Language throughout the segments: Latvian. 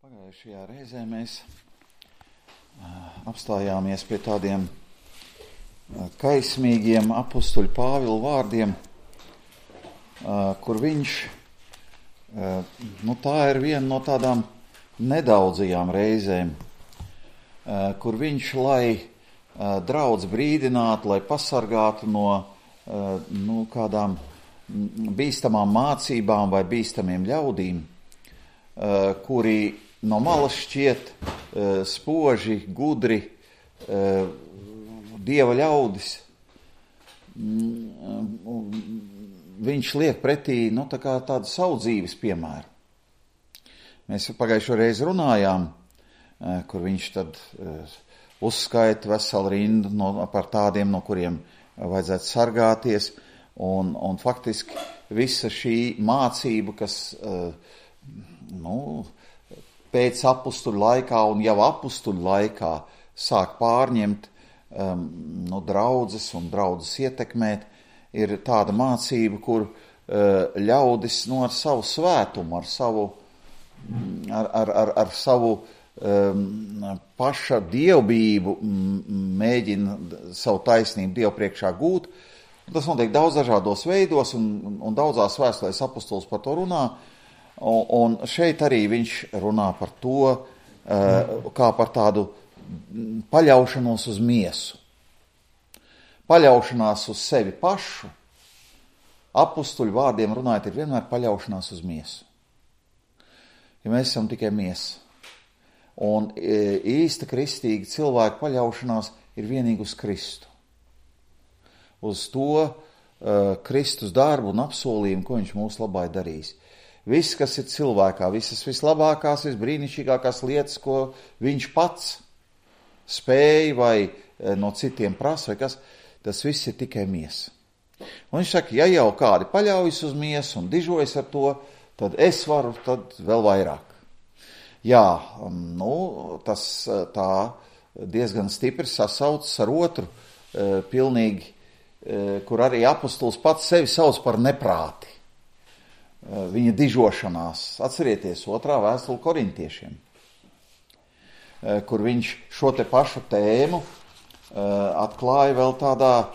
Pagājušajā reizē mēs apstājāmies pie tādiem kaismīgiem apustuļa Pāvila vārdiem, kur viņš, tā ir viena no tādām nedaudzajām reizēm, kur viņš, lai draudz brīdinātu, lai pasargātu no kādām bīstamām mācībām vai bīstamiem ļaudīm, kuri no malas šķiet spoži, gudri, dieva ļaudis. Viņš liek pretī tādu savu dzīves piemēru. Mēs pagājušo reizi runājām, kur viņš tad uzskaita veselu rindu par tādiem, no kuriem vajadzētu sargāties, un faktiski visa šī mācība, kas pēc apustuļu laikā un jau apustuļu laikā sāk pārņemt draudzes un draudzes ietekmēt, ir tāda mācība, kur ļaudis ar savu svētumu, ar savu paša dievbijību mēģina savu taisnību Dievu priekšā gūt. Tas notiek daudz dažādos veidos, un daudzās vēstulēs apustulis par to runā. Un šeit arī viņš runā par to, kā par tādu paļaušanos uz miesu. Paļaušanās uz sevi pašu, apustuļu vārdiem runājot, ir vienmēr paļaušanās uz miesu. Ja mēs esam tikai miesa. Un īsta kristīga cilvēka paļaušanās ir vienīgi uz Kristu. Uz to Kristus darbu un apsolījumu, ko viņš mūsu labā ir darījis. Viss, kas ir cilvēkā, visas vislabākās, visbrīnišķīgākās lietas, ko viņš pats spēja vai no citiem prasa, vai kas, tas viss ir tikai miesa. Un viņš saka, ja jau kādi paļaujas uz miesu un dižojas ar to, tad es varu tad vēl vairāk. Jā, tas tā diezgan stipri sasaucas ar otru, pilnīgi, kur arī apustulis pats sevi sauc par neprāti. Viņa dižošanās. Atcerieties 2. vēstule Korintiešiem, kur viņš šo te pašu tēmu atklāja vēl tādā,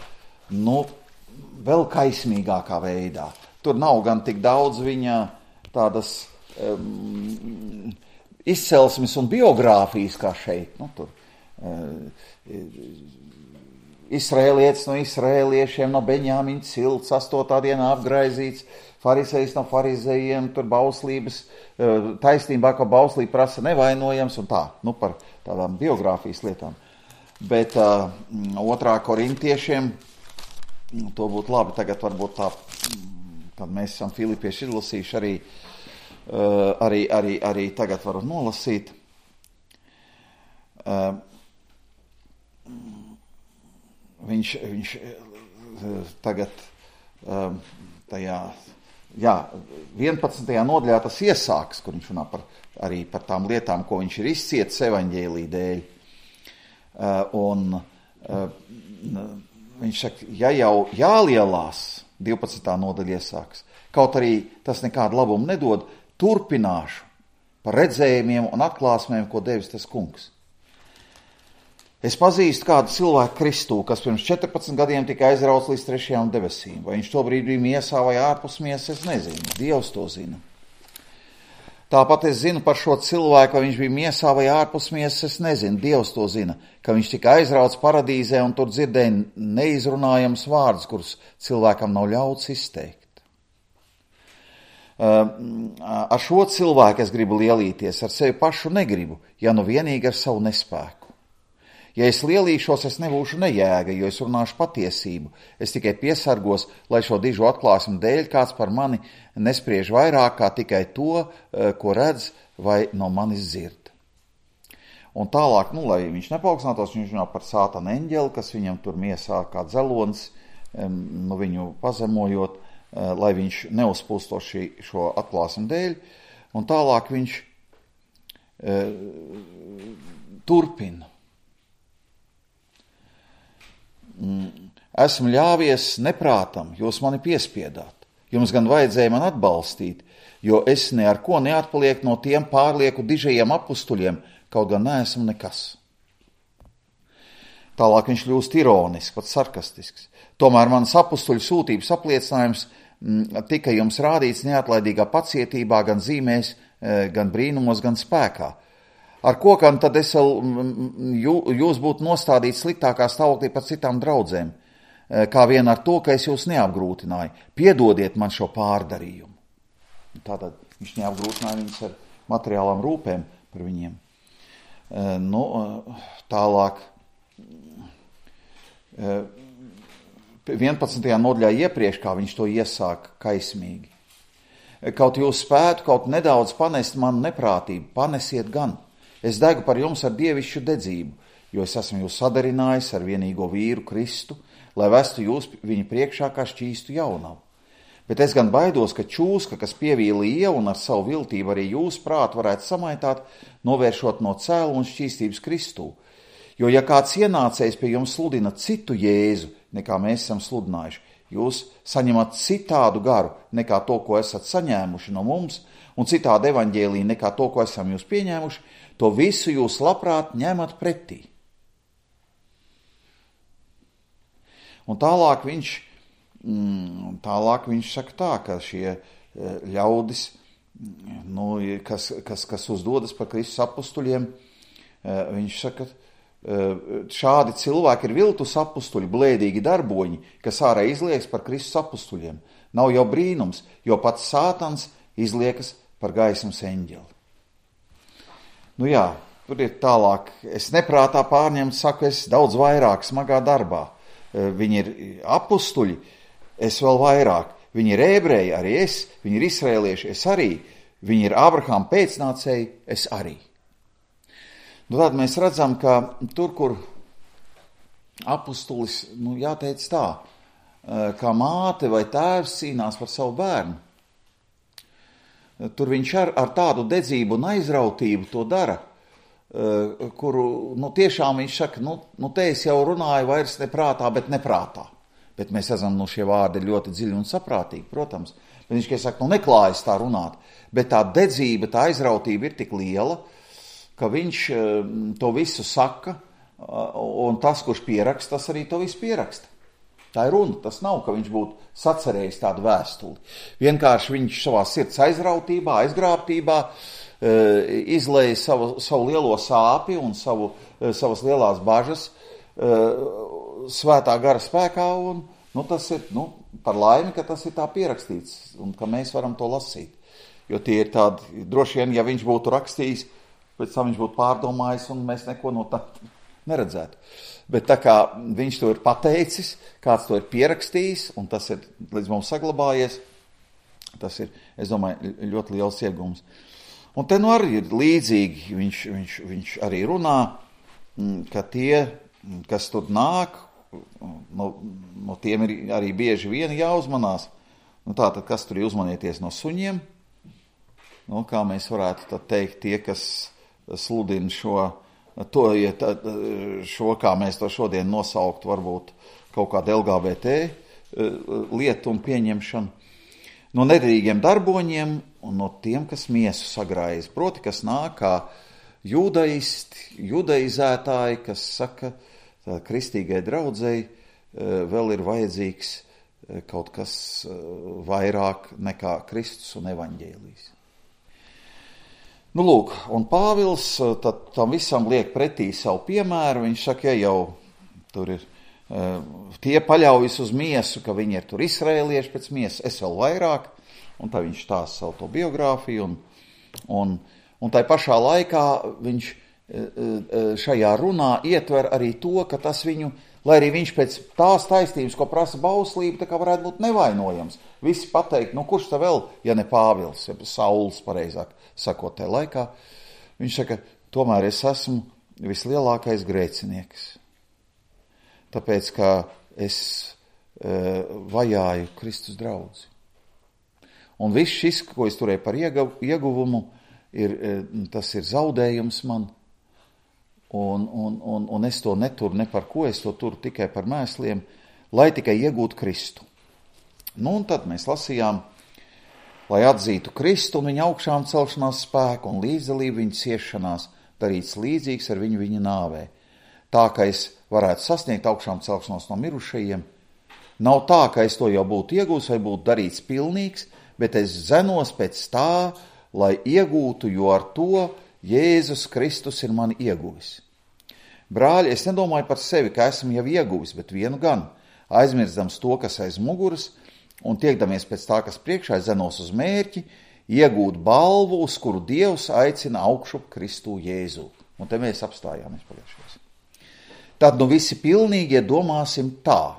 vēl kaismīgākā veidā. Tur nav gan tik daudz viņa tādas izcelsmes un biogrāfijas kā šeit. Tur Izraēlietis no izraēliešiem, no Beņāmiņa cilts, 8. dienā apgraizīts, farizejs no farizejiem, tur bauslības, taisnībā, ka bauslība prasa nevainojams un tā, par tādām biogrāfijas lietām. Bet 2. Korintiešiem, to būtu labi, tagad varbūt tā, kad mēs esam filipieši izlasījuši, arī tagad varu nolasīt. Viņš tagad tajā 11. nodaļā tas iesāks, kur viņš runā arī par tām lietām, ko viņš ir izcietis evaņģēlī dēļ. Viņš saka, ja jau jālielās, 12. nodaļa iesāks, kaut arī tas nekādu labumu nedod, turpināšu par redzējumiem un atklāsmēm, ko devis tas kungs. Es pazīstu kādu cilvēku Kristū, kas pirms 14 gadiem tika aizrauts līdz 3. debesīm. Vai viņš tobrīd bija miesā vai ārpus miesas, es nezinu. Dievs to zina. Tāpat es zinu par šo cilvēku, vai viņš bija miesā vai ārpus miesas, es nezinu. Dievs to zina, ka viņš tika aizrauts paradīzē un tur dzirdēja neizrunājams vārdus, kurus cilvēkam nav ļauts izteikt. Ar šo cilvēku es gribu lielīties, ar sevi pašu negribu, ja nu vienīgi ar savu nespēku. Ja es lielīšos, es nebūšu nejēga, jo es runāšu patiesību. Es tikai piesargos, lai šo dižu atklāsmu dēļ kāds par mani nespriež vairāk kā tikai to, ko redz vai no manis dzird. Un tālāk, lai viņš nepauksnātos, viņš runā par sātana eņģeli, kas viņam tur miesā kā dzelonis, viņu pazemojot, lai viņš neuzpūsto šo atklāsmu dēļ. Un tālāk viņš turpina. Esmu ļāvies neprātam, jūs mani piespiedāt. Jums gan vajadzēja man atbalstīt, jo es ne ar ko neatpalieku no tiem pārlieku dižajiem apustuļiem, kaut gan neesmu nekas. Tālāk viņš kļūst ironisks, pat sarkastisks. Tomēr manas apustuļu sūtības apliecinājums tika jums rādīts neatlaidīgā pacietībā, gan zīmēs, gan brīnumos, gan spēkā. Ar ko gan tad jūs būtu nostādīts sliktākā stāvoklī par citām draudzēm, kā vien ar to, ka es jūs neapgrūtināju. Piedodiet man šo pārdarījumu. Tātad viņš neapgrūtināja viņus ar materiālām rūpēm par viņiem. Tālāk 11. nodaļā iepriekš, kā viņš to iesāka kaismīgi. Kaut jūs spētu kaut nedaudz panest manu neprātību, panesiet gan. Es degu par jums ar dievišķu dedzību, jo es esmu jūs sadarinājis ar vienīgo vīru Kristu, lai vestu jūs viņa priekšā kā šķīstu jaunavu. Bet es gan baidos, ka čūska, kas pievīla ievu un ar savu viltību arī jūs prātu varētu samaitāt, novēršot no cēlu un šķīstības Kristū. Jo ja kāds ienācējs pie jums sludina citu Jēzu, nekā mēs esam sludinājuši, jūs saņemat citādu garu nekā to, ko esat saņēmuši no mums, un citādu evaņģēliju nekā to, ko esam jūs pieņēmuši, to visu jūs labprāt ņemat pretī. Un tālāk viņš saka tā, ka šie ļaudis, kas uzdodas par Kristus apustuļiem, viņš saka, šādi cilvēki ir viltus apustuļi, blēdīgi darboņi, kas ārā izliekas par Kristus apustuļiem. Nav jau brīnums, jo pats Sātans izliekas par gaismas eņģeli. Tur ir tālāk. Es neprātā pārņemt, saku, es daudz vairāk smagā darbā. Viņi ir apustuļi, es vēl vairāk. Viņi ir ebreji, arī es. Viņi ir izraēlieši, es arī. Viņi ir Ābrahama pēcnācēji, es arī. Tad mēs redzam, ka tur, kur apustulis, jāteic tā, kā māte vai tēvs cīnās par savu bērnu, tur viņš ar tādu dedzību un aizrautību to dara, kuru, tiešām viņš saka, te es jau runāju vairs neprātā, bet neprātā. Bet mēs redzam, šie vārdi ir ļoti dziļi un saprātīgi, protams. Bet viņš, saka, neklājas tā runāt, bet tā dedzība, tā aizrautība ir tik liela, ka viņš to visu saka, un tas, kurš pieraksta, tas arī to visu pieraksta. Tā ir runa, tas nav, ka viņš būtu sacerējis tādu vēstuli. Vienkārši viņš savā sirds aizrautībā, aizgrābtībā izlēja savu lielo sāpi un savas lielās bažas svētā gara spēkā, un tas ir, par laimi, ka tas ir tā pierakstīts, un ka mēs varam to lasīt. Jo tie ir tādi, droši vien, ja viņš būtu rakstījis, pēc tam viņš būtu pārdomājis, un mēs neko no tā neredzētu. Bet tā kā viņš to ir pateicis, kāds to ir pierakstījis, un tas ir līdz mums saglabājies, tas ir, es domāju, ļoti liels iegums. Un te arī ir līdzīgi, viņš arī runā, ka tie, kas tur nāk, no tiem ir arī bieži vien jāuzmanās. Tātad, kas tur ir uzmanieties no suņiem? Kā mēs varētu tad teikt, tie, kas sludina šo, kā mēs to šodien nosauktu, varbūt kaut kādu LGBT lietu un pieņemšanu, no nederīgiem darboņiem un no tiem, kas miesu sagrājas, proti, kas nāk kā judaizētāji, kas saka, tā kristīgai draudzei vēl ir vajadzīgs kaut kas vairāk nekā Kristus un evaņģēlijs. Lūk, un Pāvils tad tam visam liek pretī savu piemēru. Viņš saka, ja jau tur ir, tie paļaujas uz miesu, ka viņi ir tur izraēlieši pēc miesas, es vēl vairāk, un tā viņš stāsta savu to biogrāfiju, un tai pašā laikā viņš šajā runā ietver arī to, ka tas viņu, lai arī viņš pēc tās taisnības, ko prasa bauslība, tā kā varētu būt nevainojams. Visi pateikt, kurš tā vēl, ja ne Pāvils, ja Sauls, pareizāk sakot, tajā laikā. Viņš saka, tomēr es esmu vislielākais grēcinieks. Tāpēc, ka es vajāju Kristus draudzi. Un viss šis, ko es turēju par ieguvumu, tas ir zaudējums man. Un es to neturu ne par ko, es to turu tikai par mēsliem, lai tikai iegūtu Kristu. Un tad mēs lasījām lai atzītu Kristu un viņa augšām celšanās spēku un līdzdalību viņa ciešanās, darīts līdzīgs ar viņa nāvē. Tā, ka es varētu sasniegt augšām celšanos no mirušajiem, nav tā, ka es to jau būtu iegūs vai būtu darīts pilnīgs, bet es zenos pēc tā, lai iegūtu, jo ar to Jēzus Kristus ir mani ieguvis. Brāļi, es nedomāju par sevi, ka esmu jau ieguvis, bet vienu gan, aizmirstams to, kas aiz muguras, un tiekdamies pēc tā, kas priekšā, zenos uz mērķi, iegūt balvu, uz kuru Dievs aicina augšup Kristu Jēzu. Un te mēs apstājāmies pagājušajos. Tad visi pilnīgie domāsim tā.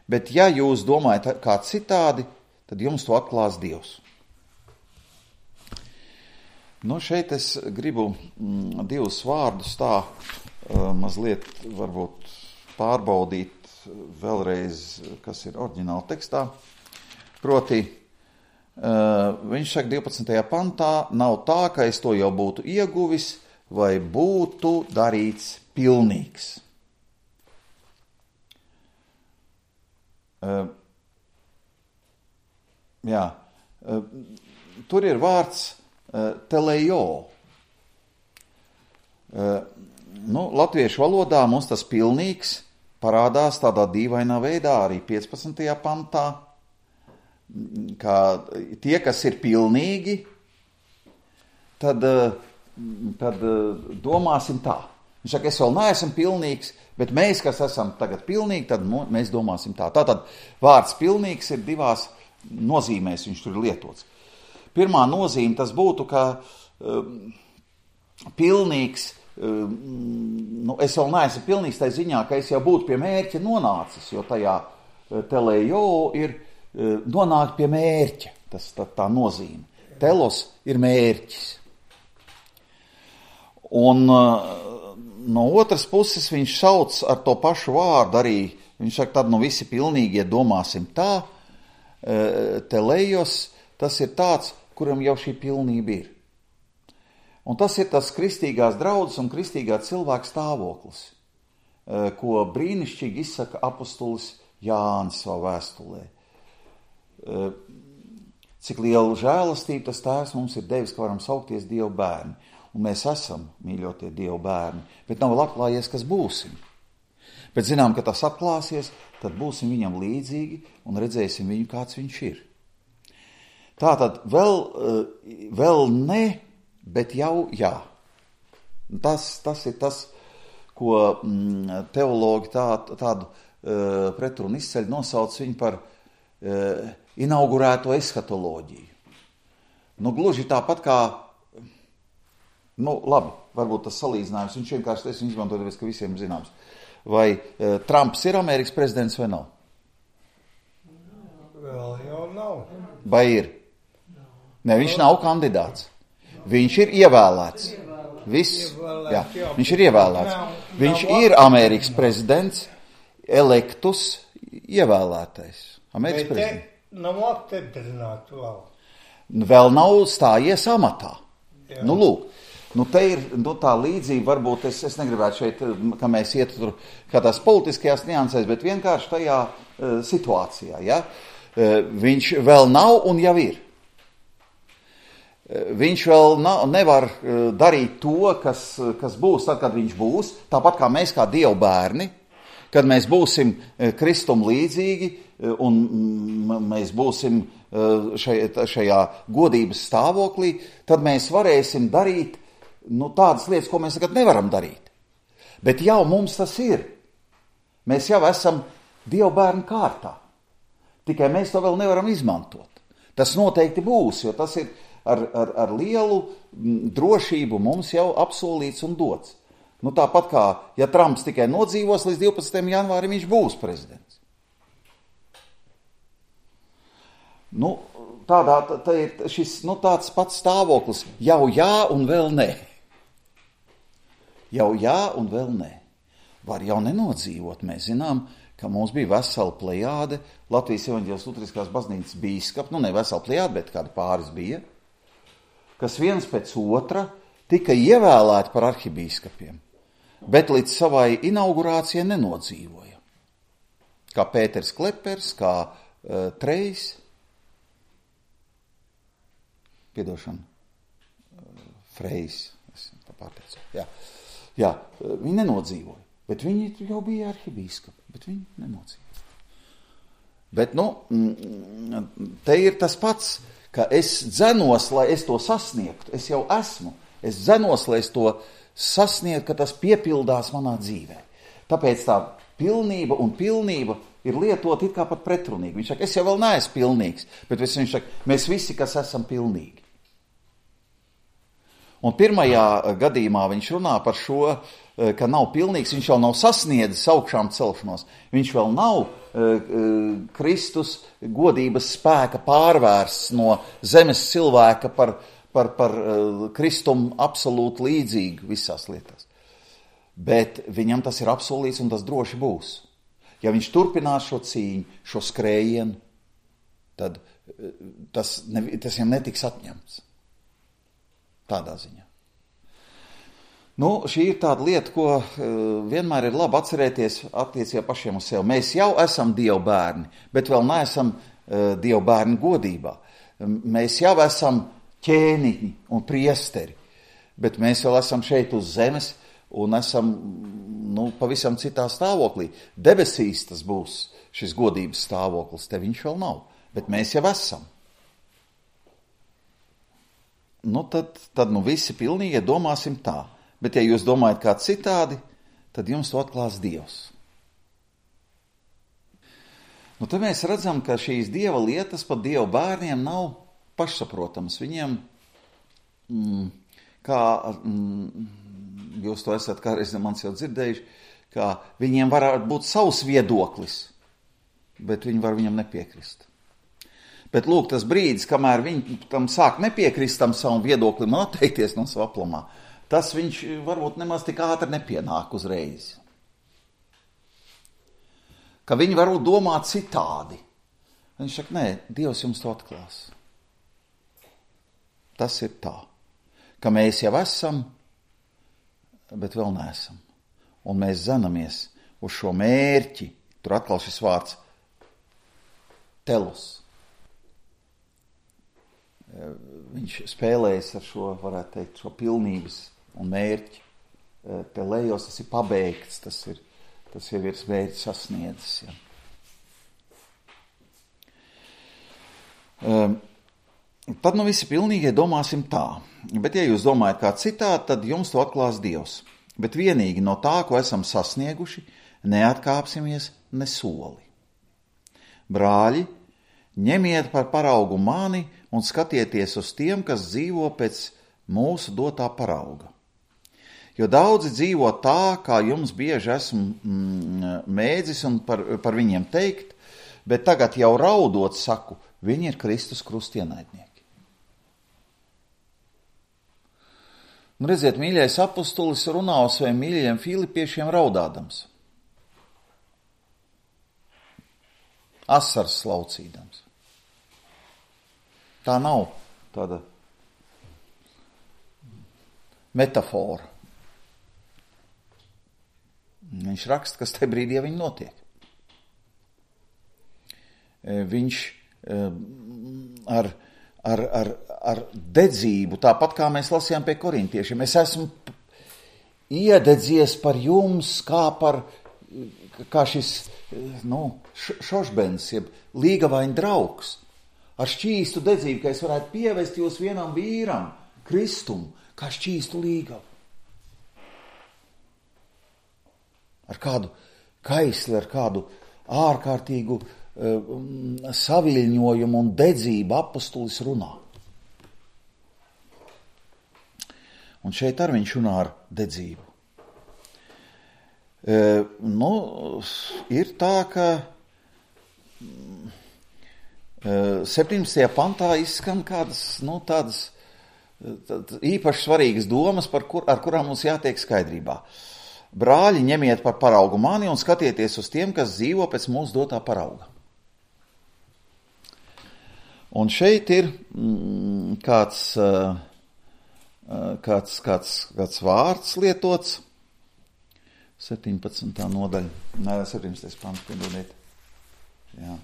Bet ja jūs domājat kā citādi, tad jums to atklās Dievs. Šeit es gribu divus vārdus tā mazliet varbūt pārbaudīt vēlreiz, kas ir oriģināla tekstā. Proti, viņš saka 12. pantā, nav tā, ka es to jau būtu ieguvis vai būtu darīts pilnīgs. Tur ir vārds telejo. Latviešu valodā mums tas pilnīgs parādās tādā dīvainā veidā arī 15. pantā, kā tie, kas ir pilnīgi, tad domāsim tā. Viņš saka, es vēl neesmu pilnīgs, bet mēs, kas esam tagad pilnīgi, tad mēs domāsim tā. Tātad vārds pilnīgs ir divās nozīmēs, viņš tur ir lietots. Pirmā nozīme tas būtu, ka pilnīgs, es vēl neesmu pilnīgs tai ziņā, ka es jau būtu pie mērķa nonācis, jo tajā telejo ir nonākt pie mērķa, tas tā nozīme. Telos ir mērķis. Un no otras puses viņš sauc ar to pašu vārdu arī, viņš saka, tad visi pilnīgie domāsim tā, telejos, tas ir tāds, kuram jau šī pilnība ir. Un tas ir tas kristīgās draudzes un kristīgā cilvēka stāvoklis, ko brīnišķīgi izsaka apustulis Jānis savā vēstulē. Cik lielu žēlastību tas Tēvs mums ir devis, ka varam saukties Dieva bērni. Un mēs esam, mīļotie Dieva bērni, bet nav vēl atklājies, kas būsim. Bet zinām, ka tas atklāsies, tad būsim viņam līdzīgi un redzēsim viņu, kāds viņš ir. Tātad vēl ne, bet jau jā. Tas ir tas, ko teologi tādu pretrunu izceļ, nosauc viņu par inaugurēto eskatoloģiju. Gluži tāpat kā, labi, varbūt tas salīdzinājums, viņš vienkārši es izmantoju, tāpēc, ka visiem zināms. Vai Trumps ir Amerikas prezidents vai nav? Vēl jau nav. Vai ir? Ne, viņš nav kandidāts. Viņš ir ievēlēts. Viss, jā, viņš ir ievēlēts. Viņš ir Amerikas prezidents, elektus ievēlētais. Amerikas prezidents. Nav apstiprināts vēl. Vēl nav stājies amatā. Lūk. Te ir tā līdzība, varbūt es negribētu šeit, ka mēs ietu tur kādās politiskajās niansēs, bet vienkārši tajā situācijā. Ja? Viņš vēl nav un jau ir. Viņš vēl nevar darīt to, kas būs tad, kad viņš būs, tāpat kā mēs kā Dieva bērni, kad mēs būsim Kristum līdzīgi un mēs būsim šajā godības stāvoklī, tad mēs varēsim darīt tādas lietas, ko mēs tagad nevaram darīt. Bet jau mums tas ir. Mēs jau esam Dieva bērnu kārtā. Tikai mēs to vēl nevaram izmantot. Tas noteikti būs, jo tas ir ar lielu drošību mums jau apsolīts un dots. Tāpat kā, ja Trumps tikai nodzīvos līdz 12. janvārim, viņš būs prezidents. Tā ir šis tāds pats stāvoklis. Jau jā un vēl nē. Jau jā un vēl nē. Var jau nenodzīvot. Mēs zinām, ka mums bija vesela plejāde Latvijas evaņģēliskās luteriskās baznīcas bīskapi, ne vesela plejāde, bet kādi pāris bija, kas viens pēc otra tika ievēlēti par arhibīskapiem, bet līdz savai inaugurācijai nenodzīvoja. Kā Pēters Klepers, kā Trejs. Freis, es tā pārteicu. Jā, viņi nenodzīvoja, bet viņi jau bija arhibīskapi, bet viņi nenodzīvoja. Bet, te ir tas pats, ka es dzenos, lai es to sasniegtu, es jau esmu, es dzenos, lai es to sasniegtu, ka tas piepildās manā dzīvē. Tāpēc tā pilnība un pilnība ir lietot it kā pat pretrunīgi. Viņš saka, es jau vēl neesmu pilnīgs, bet viņš saka, mēs visi, kas esam pilnīgi. Un pirmajā gadījumā viņš runā par šo, ka nav pilnīgs, viņš vēl nav sasniedzis augšām celšanos. Viņš vēl nav Kristus godības spēka pārvērsts no zemes cilvēka par Kristumu absolūti līdzīgu visās lietās. Bet viņam tas ir apsolīts un tas droši būs. Ja viņš turpinās šo cīņu, šo skrējienu, tad tas viņam netiks atņemts. Tādā ziņā. Šī ir tāda lieta, ko vienmēr ir labi atcerēties attiecībā pašiem uz sevi. Mēs jau esam Dieva bērni, bet vēl neesam Dieva bērni godībā. Mēs jau esam ķēniņi un priesteri, bet mēs vēl esam šeit uz zemes un esam pavisam citā stāvoklī. Debesīs tas būs šis godības stāvoklis, te viņš vēl nav, bet mēs jau esam. Tad visi pilnīgi domāsim tā. Bet, ja jūs domājat kā citādi, tad jums to atklās Dievs. Te mēs redzam, ka šīs Dieva lietas pat Dieva bērniem nav pašsaprotamas. Viņiem, jūs to esat kādreiz mans jau dzirdējuši, ka viņiem varētu būt savs viedoklis, bet viņi var viņam nepiekrist. Bet lūk, tas brīdis, kamēr viņi tam sāk nepiekrist tam savam viedoklim un atteikties no savu aplamā, tas viņš varbūt nemaz tik ātri nepienāk uzreiz. Ka viņi varbūt domā citādi. Viņš saka, nē, Dievs jums to atklās. Tas ir tā, ka mēs jau esam, bet vēl neesam. Un mēs zenamies uz šo mērķi, tur atkal šis vārds telos. Viņš spēlējas ar šo, varētu teikt, šo pilnības un mērķi. Telējos, tas ir pabeigts, tas jau ir mērķis sasniedzis. Ja. Tad visi pilnīgie domāsim tā. Bet ja jūs domājat kā citādi, tad jums to atklās Dievs. Bet vienīgi no tā, ko esam sasnieguši, neatkāpsimies ne soli. Brāļi, ņemiet par paraugu mani un skatieties uz tiem, kas dzīvo pēc mūsu dotā parauga. Jo daudzi dzīvo tā, kā jums bieži esmu mēdzis un par viņiem teikt, bet tagad jau raudot saku, viņi ir Kristus krustienaidnieki. Redziet, mīļais apustulis runā uz saviem mīļajiem filipiešiem raudādams. Asars slaucīdams. Tā nav tāda metafora. Viņš raksta, kas te brīdī viņi notiek. Viņš ar dedzību, tāpat kā mēs lasījām pie korintiešiem, es esmu iededzies par jums, kā šis šošbens, jeb līgavaini draugs, ar šķīstu dedzību, ka es varētu pievest jūs vienam vīram, Kristumu, kā šķīstu līgavu. Ar kādu kaisli, ar kādu ārkārtīgu saviļņojumu un dedzību apustulis runā. Un šeit arī viņš runā ar dedzību. Ir tā, ka 17. pantā izskan kādas, tādas īpaši svarīgas domas, ar kurām mums jātiek skaidrībā. Brāļi, ņemiet par paraugu mani un skatieties uz tiem, kas dzīvo pēc mūsu dotā parauga. Un šeit ir kāds vārds lietots, 17. nodaļa, 17. pants, piedodiet. Jā.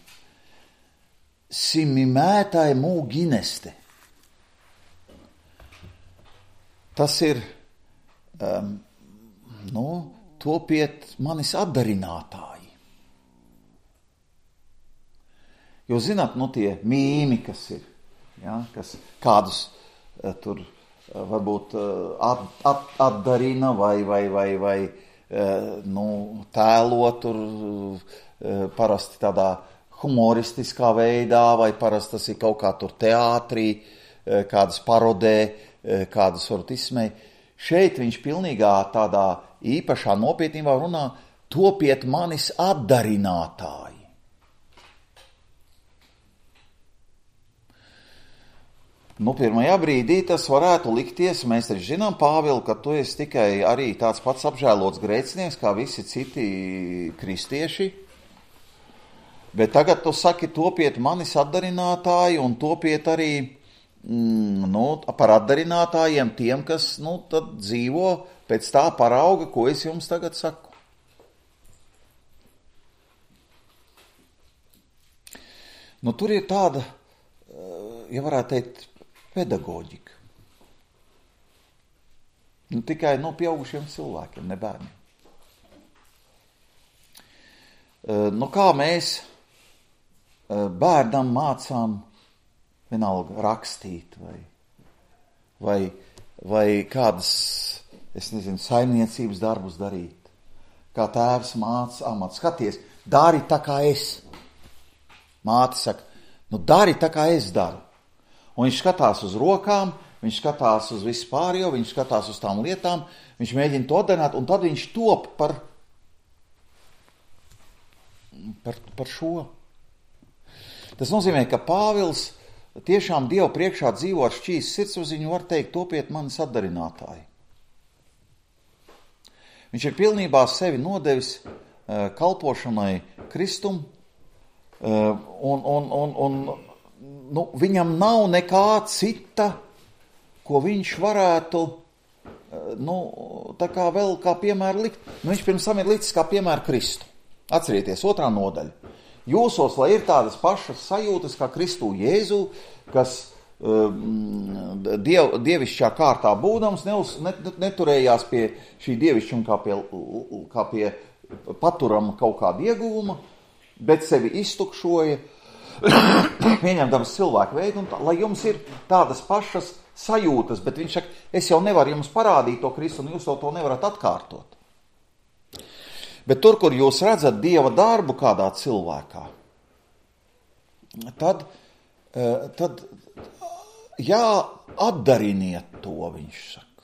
Simimētāji mūgineste. tas ir, topiet manis atdarinātāji. Jūs zināt, tie mīmi, kas ir, ja, kas kādus tur varbūt atdarina vai tēlo tur parasti tādā humoristiskā veidā, vai parasti tas ir kaut kā tur teātrī, kādas parodē, kādas varbūt izsmēja. Šeit viņš pilnīgā tādā īpašā nopietnībā runā, topiet manis atdarinātāji. Pirmajā brīdī tas varētu likties, mēs taču zinām, Pāvilu, ka tu esi tikai arī tāds pats apžēlots grēcinieks, kā visi citi kristieši, bet tagad tu saki, topiet manis atdarinātāji un topiet arī par atdarinātājiem tiem, kas tad dzīvo pēc tā parauga, ko es jums tagad saku. Tur ir tāda, ja varētu teikt, pedagoģika. Tikai pieaugušiem cilvēkiem, ne bērniem. Kā mēs bērnam mācām vienalga rakstīt vai kādas, saimniecības darbus darīt. Kā tēvs māca amatu. Skaties, dari tā kā es. Māte saka, dari tā kā es daru. Un viņš skatās uz rokām, viņš skatās uz visu pārējo, viņš skatās uz tām lietām, viņš mēģina to darīt, un tad viņš top par šo. Tas nozīmē, ka Pāvils tiešām Dievu priekšā dzīvo ar šķīs sirdsapziņu, var teikt, topiet manis atdarinātāji. Viņš ir pilnībā sevi nodevis kalpošanai Kristum, viņam nav nekā cita, ko viņš varētu, tā kā vēl kā piemēru likt. Viņš pirms tam ir licis kā piemēru Kristu. Atcerieties, 2. nodaļa. Jūsos, lai ir tādas pašas sajūtas kā Kristū Jēzu, kas dievišķā kārtā būdams neturējās pie šī dievišķuma kā pie paturama kaut kāda ieguvuma, bet sevi iztukšoja, pieņemdams cilvēku veidu, lai jums ir tādas pašas sajūtas, bet viņš saka, es jau nevaru jums parādīt to Kristu, un jūs jau to nevarat atkārtot. Bet tur, kur jūs redzat Dieva darbu kādā cilvēkā, tad atdariniet to, viņš saka.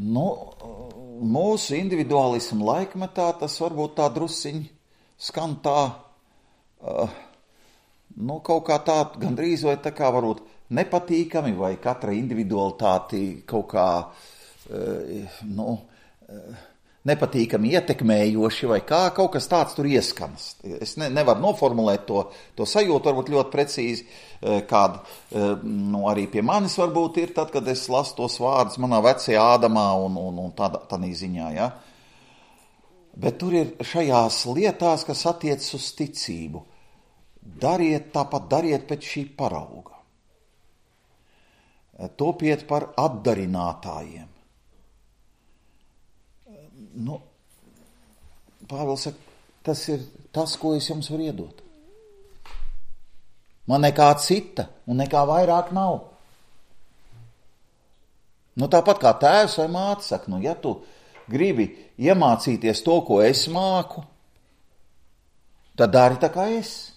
Mūsu individuālismu laikmetā tas varbūt tā drusciņi skan tā, kaut kā tā, gandrīz vai tā kā varbūt nepatīkami, vai katra individualitāti kaut kā, nepatīkami ietekmējoši, vai kā, kaut kas tāds tur ieskanas. Es nevaru noformulēt to sajūtu, varbūt ļoti precīzi, kāda, arī pie manis varbūt ir tad, kad es lasu tos vārdus manā vecajā Ādamā un tādā ziņā, ja. Bet tur ir šajās lietās, kas attiecas uz ticību. Dariet pēc šī parauga. Topiet par atdarinātājiem. Pāvils saka, tas ir tas, ko es jums varu iedot. Man nekā cita un nekā vairāk nav. Tāpat kā tēvs vai māte saka, ja tu gribi iemācīties to, ko es māku, tad dari tā kā es.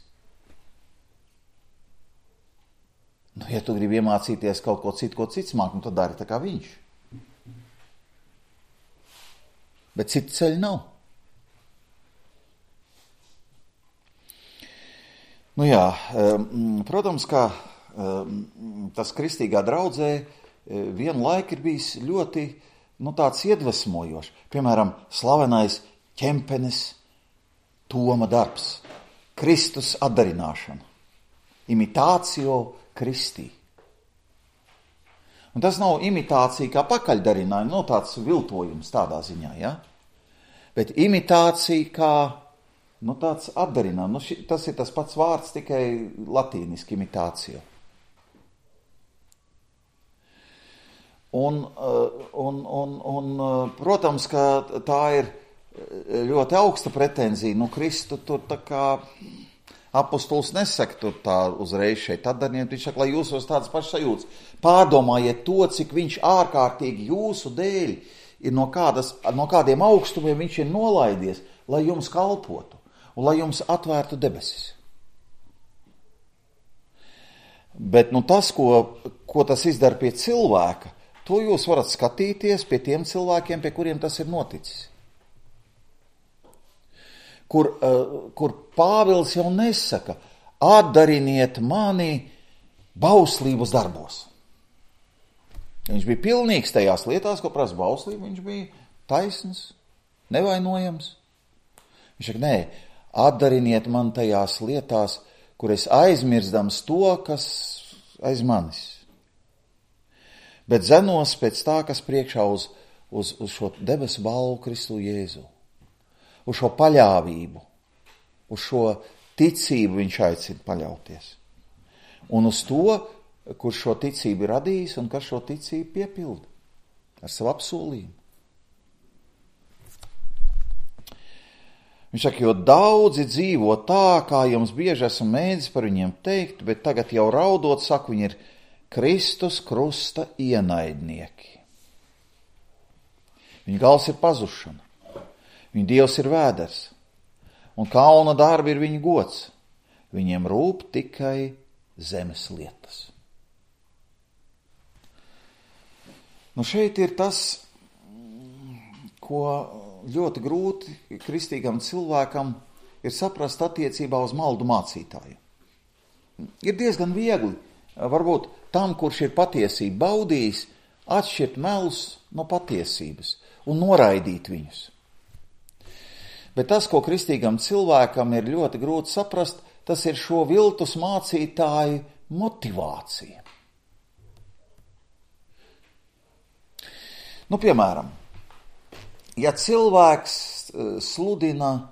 Ja tu gribi iemācīties kaut ko citu, ko cits māk, tad dari tā kā viņš. Bet citu ceļu nav. Protams, ka tas kristīgā draudzē vienlaik ir bijis ļoti tāds iedvesmojošs. Piemēram, slavenais Ķempenes Toma darbs. Kristus atdarināšana. Imitācio Kristī. Un tas nav imitācija kā pakaļdarinājuma, tāds viltojums tādā ziņā, ja? Bet imitācija kā, tāds atdarinājums. Tas ir tas pats vārds, tikai latīniski imitācija. Protams, ka tā ir ļoti augsta pretenzija. Nu, Kristu tur tā kā apostols nesaka tur tā uzreiz šeit atdarniet, viņš saka, lai jūsos tādas pašas sajūtas. Pārdomājiet to, cik viņš ārkārtīgi jūsu dēļ ir no kādiem augstumiem viņš ir nolaidies, lai jums kalpotu un lai jums atvērtu debesis. Bet nu, tas, ko tas izdara pie cilvēka, to jūs varat skatīties pie tiem cilvēkiem, pie kuriem tas ir noticis. Kur Pāvils jau nesaka, atdariniet mani bauslības darbos. Viņš bija pilnīgs tajās lietās, ko prasa bauslība, viņš bija taisns, nevainojams. Viņš saka, nē, atdariniet man tajās lietās, kur es aizmirstams to, kas aiz manis. Bet zenos pēc tā, kas priekšā uz šo debesu balvu Kristu Jēzu. Uz šo paļāvību, uz šo ticību viņš aicina paļauties. Un uz to, kurš šo ticību ir radījis un kas šo ticību piepilda ar savu apsolījumu. Viņš saka, jo daudzi dzīvo tā, kā jums bieži esmu mēģis par viņiem teikt, bet tagad jau raudot, saku, viņi ir Kristus krusta ienaidnieki. Viņa gals ir pazušana. Viņa Dievs ir vēders, un kauna darbi ir viņa gods. Viņiem rūp tikai zemes lietas. Nu šeit ir tas, ko ļoti grūti kristīgam cilvēkam ir saprast attiecībā uz maldu mācītāju. Ir diezgan viegli, varbūt tam, kurš ir patiesību baudījis, atšķirt melus no patiesības un noraidīt viņus. Bet tas, ko kristīgam cilvēkam ir ļoti grūti saprast, tas ir šo viltus mācītāju motivācija. Nu, piemēram, ja cilvēks sludina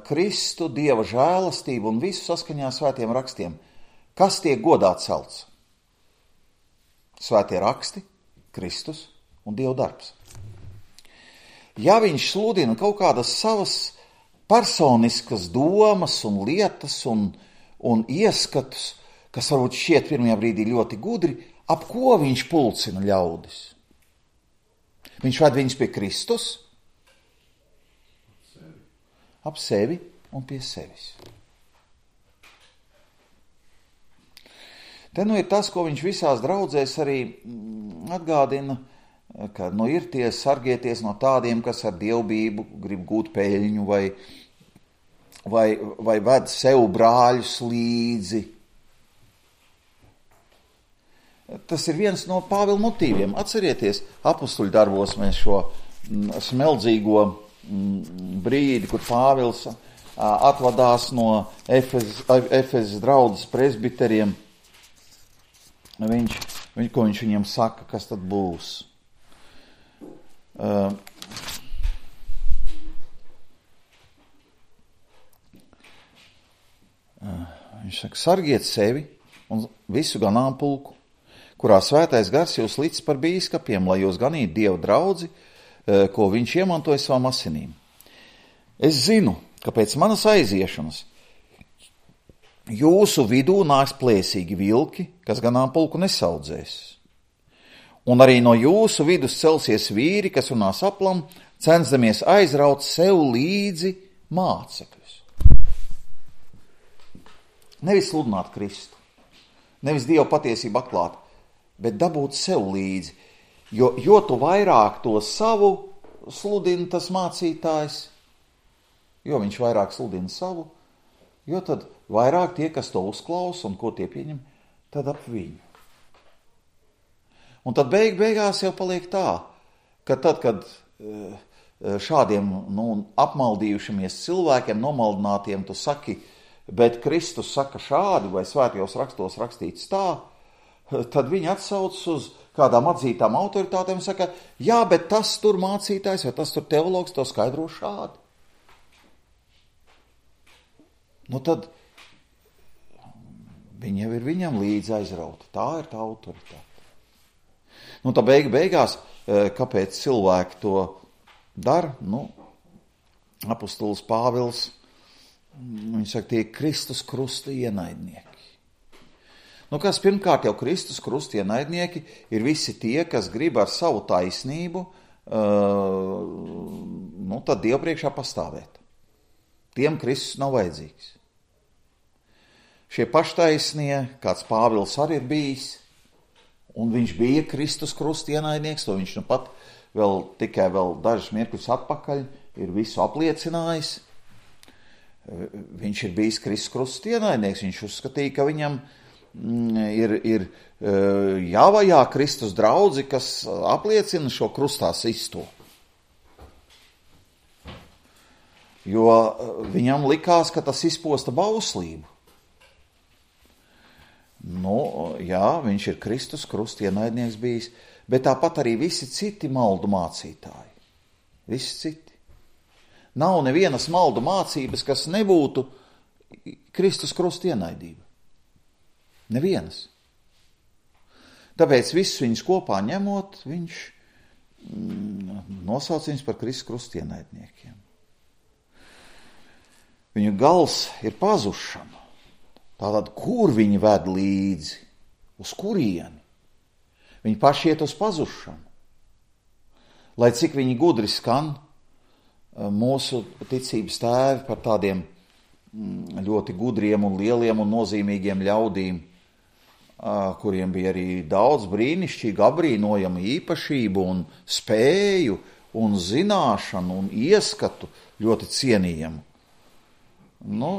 Kristu, Dieva žēlastību un visu saskaņā svētiem rakstiem, kas tiek godā celts? Svētie raksti, Kristus un Dieva darbs. Ja viņš sludina kaut kādas savas personiskas domas un lietas un ieskatus, kas varbūt šķiet pirmajā brīdī ļoti gudri, ap ko viņš pulcina ļaudis? Viņš ved viņus pie Kristus? Ap sevi un pie sevis. Te nu ir tas, ko viņš visās draudzēs arī atgādina, ka ir tie sargieties no tādiem, kas ar dievbību grib gūt peļņu vai ved sev brāļus līdzi. Tas ir viens no Pāvila motīviem. Atcerieties, apustuļu darbos mēs šo smeldzīgo brīdi, kur Pāvils atvadās no Efezes draudzes presbiteriem. Ko viņš viņiem saka, kas tad būs? Viņš saka, sargiet sevi un visu ganāmpulku, kurā svētais gars jūs līdz par bīskapiem, lai jūs ganītu Dieva draudzi, ko viņš iemantoja savām asinīm. Es zinu, ka pēc manas aiziešanas jūsu vidū nāks plēsīgi vilki, kas ganāmpulku nesaudzēs. Un arī no jūsu vidus celsies vīri, kas runās aplam, censdamies aizraut sev līdzi mācekļus. Nevis sludināt Kristu, nevis Dievu patiesību atklāt, bet dabūt sev līdzi. Jo tu vairāk to savu sludina tas mācītājs, jo viņš vairāk sludina savu, jo tad vairāk tie, kas to uzklausa un ko tie pieņem, tad ap viņu. Un tad beigās jau paliek tā, ka tad, kad šādiem apmaldījušamies cilvēkiem, nomaldinātiem, tu saki, bet Kristus saka šādi, vai svētajos rakstos rakstīts tā, tad viņi atsauc uz kādām atzītām autoritātēm un saka, jā, bet tas tur mācītājs vai tas tur teologs to skaidro šādi. Nu tad viņi jau ir viņam līdzi aizrauti. Tā ir tā autoritāte. Nu, tā beigās, kāpēc cilvēki to dara? Nu, apostols Pāvils, viņš saka, tie Kristus krusta ienaidnieki. Nu, kas pirmkārt jau Kristus krusta ienaidnieki ir visi tie, kas grib ar savu taisnību, tad Dievu priekšā pastāvēt. Tiem Kristus nav vajadzīgs. Šie paštaisnie, kāds Pāvils arī ir bijis, un viņš bija Kristus krusta ienaidnieks, to viņš nu pat tikai dažus mirkļus atpakaļ ir visu apliecinājis. Viņš ir bijis Kristus krusta ienaidnieks, viņš uzskatīja, ka viņam ir jāvajā Kristus draudzi, kas apliecina šo krustā sisto. Jo viņam likās, ka tas izposta bauslību. Nu, jā, viņš ir Kristus krusta ienaidnieks bijis, bet tāpat arī visi citi maldu mācītāji. Visi citi. Nav nevienas maldu mācības, kas nebūtu Kristus krusta ienaidība. Nevienas. Tāpēc visus viņus kopā ņemot, viņš nosauc viņus par Kristus krusta ienaidniekiem. Viņu gals ir pazušana. Tātad, kur viņi ved līdzi? Uz kurieni? Viņi paši iet uz pazušanu. Lai cik viņi gudri skan, mūsu ticības tēvi par tādiem ļoti gudriem un lieliem un nozīmīgiem ļaudīm, kuriem bija arī daudz brīnišķīgu, apbrīnojamu īpašību un spēju un zināšanu un ieskatu ļoti cienījamu. Nu,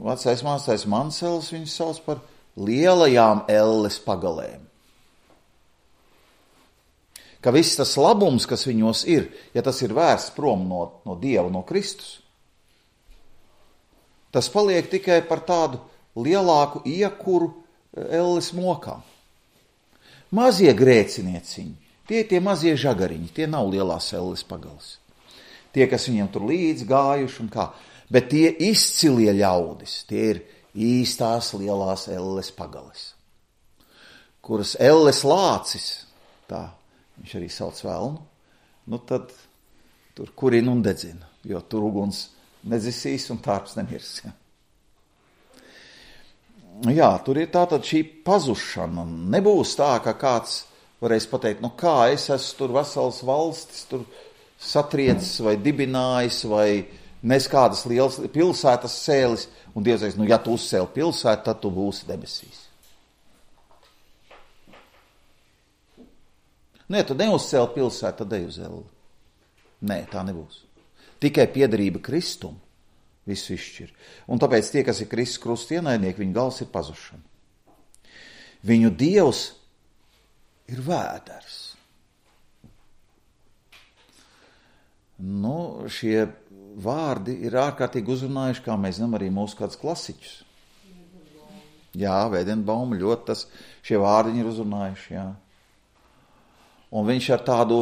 vecais mācītājs Mansels viņus sauc par lielajām elles pagalēm. Ka viss tas labums, kas viņos ir, ja tas ir vērsts prom no Dieva, no Kristus, tas paliek tikai par tādu lielāku iekuru elles mokā. Mazie grēcinieciņi, tie mazie žagariņi, tie nav lielās elles pagalas. Tie, kas viņiem tur līdz gājuši un kā. Bet tie izcilie ļaudis, tie ir īstās lielās elles pagalis, kuras elles lācis, tā viņš arī sauc velnu, nu tad tur kurina un dedzina, jo tur uguns nedzisīs un tārps nemirs. Jā, tur ir tātad šī pazušana. Nebūs tā, ka kāds varēs pateikt, nu kā es esmu tur vesels valstis, tur satriecis vai dibinājis vai nes kādas lielas pilsētas cēlis, un Dievs teiks, nu ja tu uzcēli pilsētu, tad tu būsi debesīs. Nē, tu neuzcēli pilsētu, tad ej uz elli. Nē, tā nebūs. Tikai piederība Kristum visu izšķir. Un tāpēc tie, kas ir Kristus krusta ienaidnieki, viņu gals ir pazušana. Viņu Dievs ir vēders. Nu, šie vārdi ir ārkārtīgi uzrunājuši, kā mēs zinām, arī mūsu kādus klasiķus. Jā, Vēdenbauma ļoti šie vārdi ir uzrunājuši, jā. Un viņš ar tādu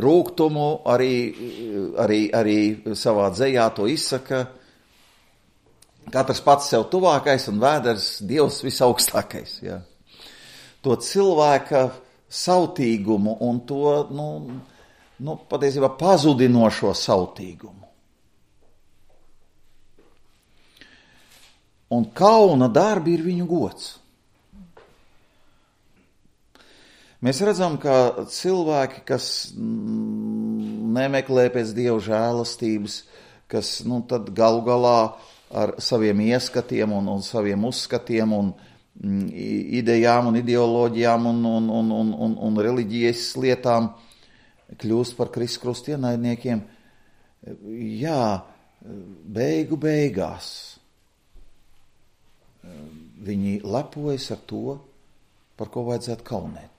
rūgtumu arī savā dzejā to izsaka, katrs pats sev tuvākais un vēders Dievs visaugstākais, jā. To cilvēka sautīgumu un to, patiesībā pazudinošo sautīgumu. Un kauna darbi ir viņu gods. Mēs redzam, ka cilvēki, kas nemeklē pēc Dieva žēlastības, kas tad galu galā ar saviem ieskatiem un saviem uzskatiem un idejām un ideoloģijām un reliģijas lietām kļūst par Kristus krusta ienaidniekiem, jā, beigās viņi lepojas ar to, par ko vajadzētu kaunēties.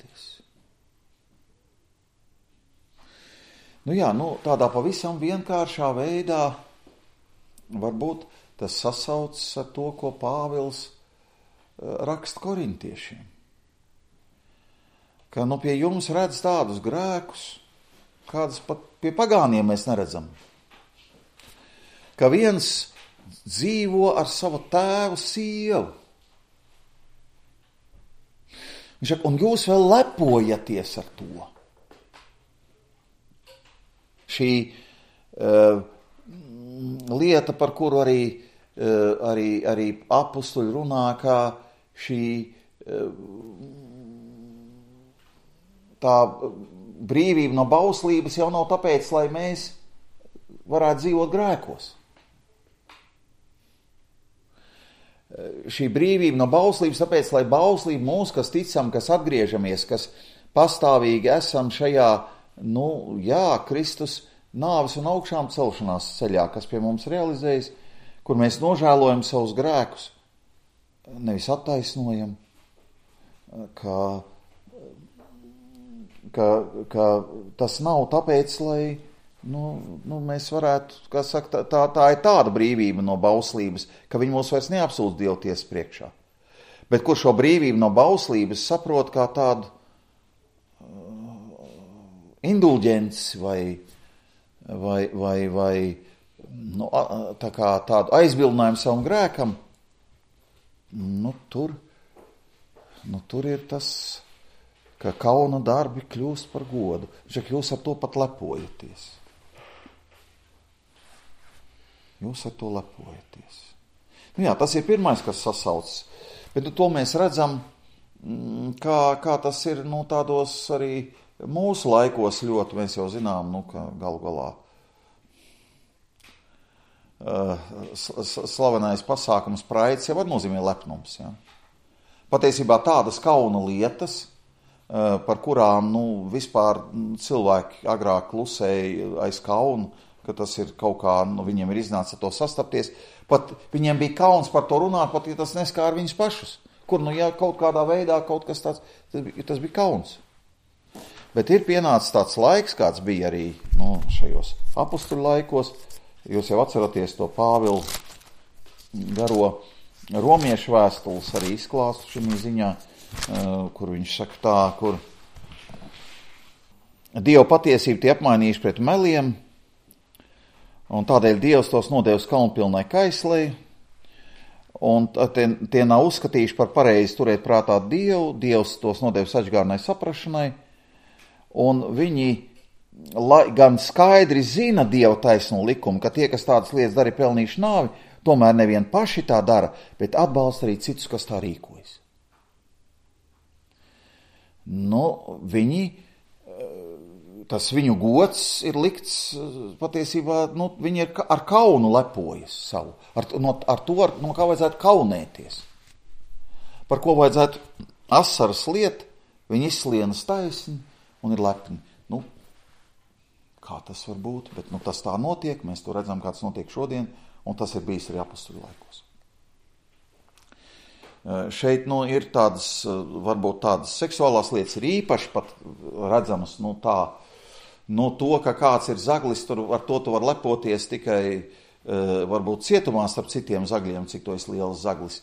Tādā pavisam vienkāršā veidā varbūt tas sasaucas ar to, ko Pāvils raksta korintiešiem. Ka pie jums redz tādus grēkus, kādas pat pie pagāniem mēs neredzam. Ka viens dzīvo ar savu tēvu sievu. Viņš saka, un jūs vēl lepojaties ar to. Šī lieta, par kuru arī apustuļi runā, kā šī tā brīvība no bauslības jau nav tāpēc, lai mēs varētu dzīvot grēkos. Šī brīvība no bauslības tāpēc, lai bauslība mūs, kas ticam, kas atgriežamies, kas pastāvīgi esam šajā, Kristus nāves un augšām celšanās ceļā, kas pie mums realizējas, kur mēs nožēlojam savus grēkus, nevis attaisnojam, ka tas nav tāpēc, lai mēs varētu, kā saka, tā ir tāda brīvība no bauslības, ka viņi mūs vairs neapsūdz Dievu tiesas priekšā. Bet kur šo brīvību no bauslības saprot kā tādu indulģenci vai tā kā tādu aizbildinājumu savam grēkam, tur ir tas, ka kauna darbi kļūst par godu. Jūs ar to pat lepojaties. Jūs ar to lepojaties. Tas ir pirmais, kas sasaucas. Bet to mēs redzam, kā tas ir tādos arī mūsu laikos ļoti. Mēs jau zinām, ka galu galā slavenais pasākums Praids jau var nozīmē lepnums. Ja? Patiesībā tādas kauna lietas, par kurām vispār cilvēki agrāk klusēja aiz kaunu, ka tas ir kaut kā, viņiem ir iznācis ar to sastapties. Pat viņiem bija kauns par to runāt, pat ja tas neskāra viņus pašus. Kur, kaut kādā veidā kaut kas tāds, tas bija kauns. Bet ir pienācis tāds laiks, kāds bija arī šajos apustuļu laikos. Jūs jau atceraties to Pāvilu garo romiešu vēstules arī izklāstu šī ziņā, kur viņš saka tā, kur Dieva patiesību tie apmainījuši pret meliem, un tādēļ Dievs tos nodevis kaunpilnai kaislei, un tie nav uzskatījuši par pareizi turēt prātā Dievu, Dievs tos nodevis atžgārnai saprašanai, un viņi gan skaidri zina Dieva taisno likumu, ka tie, kas tādas lietas dara, ir pelnījuši nāvi, tomēr nevien paši tā dara, bet atbalsta arī citus, kas tā rīkojas. Tas viņu gods ir likts patiesībā, viņi ir ar kaunu lepojas savu, ar to, no kā vajadzētu kaunēties. Par ko vajadzētu asaras liet, viņi izslienas taisni un ir lepni. Kā tas var būt, bet tas tā notiek, mēs to redzam, kā tas notiek šodien, un tas ir bijis arī apustuļu laikos. Šeit ir tādas, varbūt tādas seksuālās lietas ir īpaši pat redzamas, to, ka kāds ir zaglis, ar to tu var lepoties tikai varbūt cietumā starp citiem zagļiem, cik to es liels zaglis,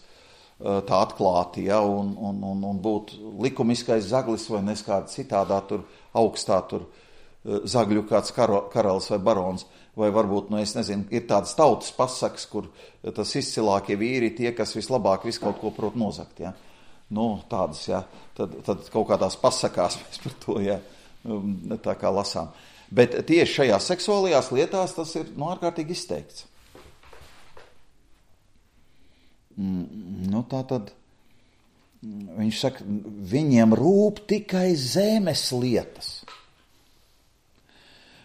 tā atklāti, ja, un būt likumiskais zaglis vai neskāda citādā tur augstā tur zagļu kāds karalis vai barons, vai varbūt, es nezinu, ir tādas tautas pasakas, kur tas izcilākie vīri tie, kas vislabāk visu kaut ko prot nozagt, ja. Tādas, ja, tad kaut kādās pasakās mēs par to, ja, tā kā lasām. Bet tieši šajās seksuālajās lietās tas ir, ārkārtīgi izteikts. Tā tad viņš saka, viņiem rūp tikai zemes lietas.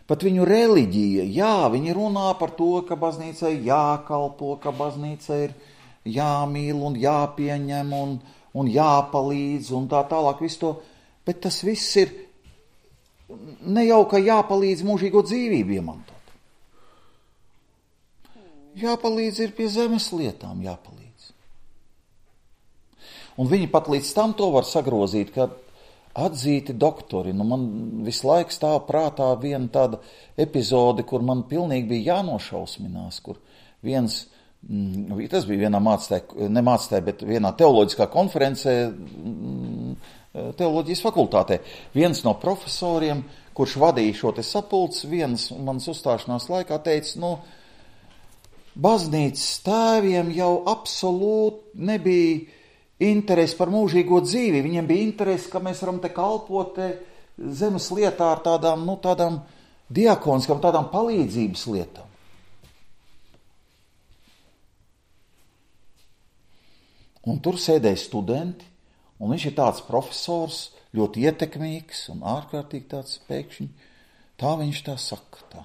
Pat viņu reliģija, viņi runā par to, ka baznīcai jākalpo, ka baznīcai ir jāmīl un jāpieņem un jāpalīdz un tā tālāk visu to, bet tas viss ir ne jau, ka jāpalīdz mūžīgo dzīvību iemantot. Jāpalīdz ir pie zemes lietām jāpalīdz. Un viņi pat līdz tam to var sagrozīt, ka atzīti doktori, man visu laiku stāv prātā viena tāda epizode, kur man pilnīgi bija jānošausminās, kur tas bija vienā bet vienā teoloģiskā konferencē, teoloģijas fakultātē. Viens no profesoriem, kurš vadīja šo te sapulci, vienas manas uzstāšanās laikā teica, baznīcas tēviem jau absolūti nebija interesi par mūžīgo dzīvi, viņiem bija interesi, ka mēs varam te kalpot zemes lietā ar tādām diakoniskām, tādām palīdzības lietām. Un tur sēdēja studenti, un viņš ir tāds profesors, ļoti ietekmīgs un ārkārtīgi tāds pēkšņi. Tā viņš tā saka, tā.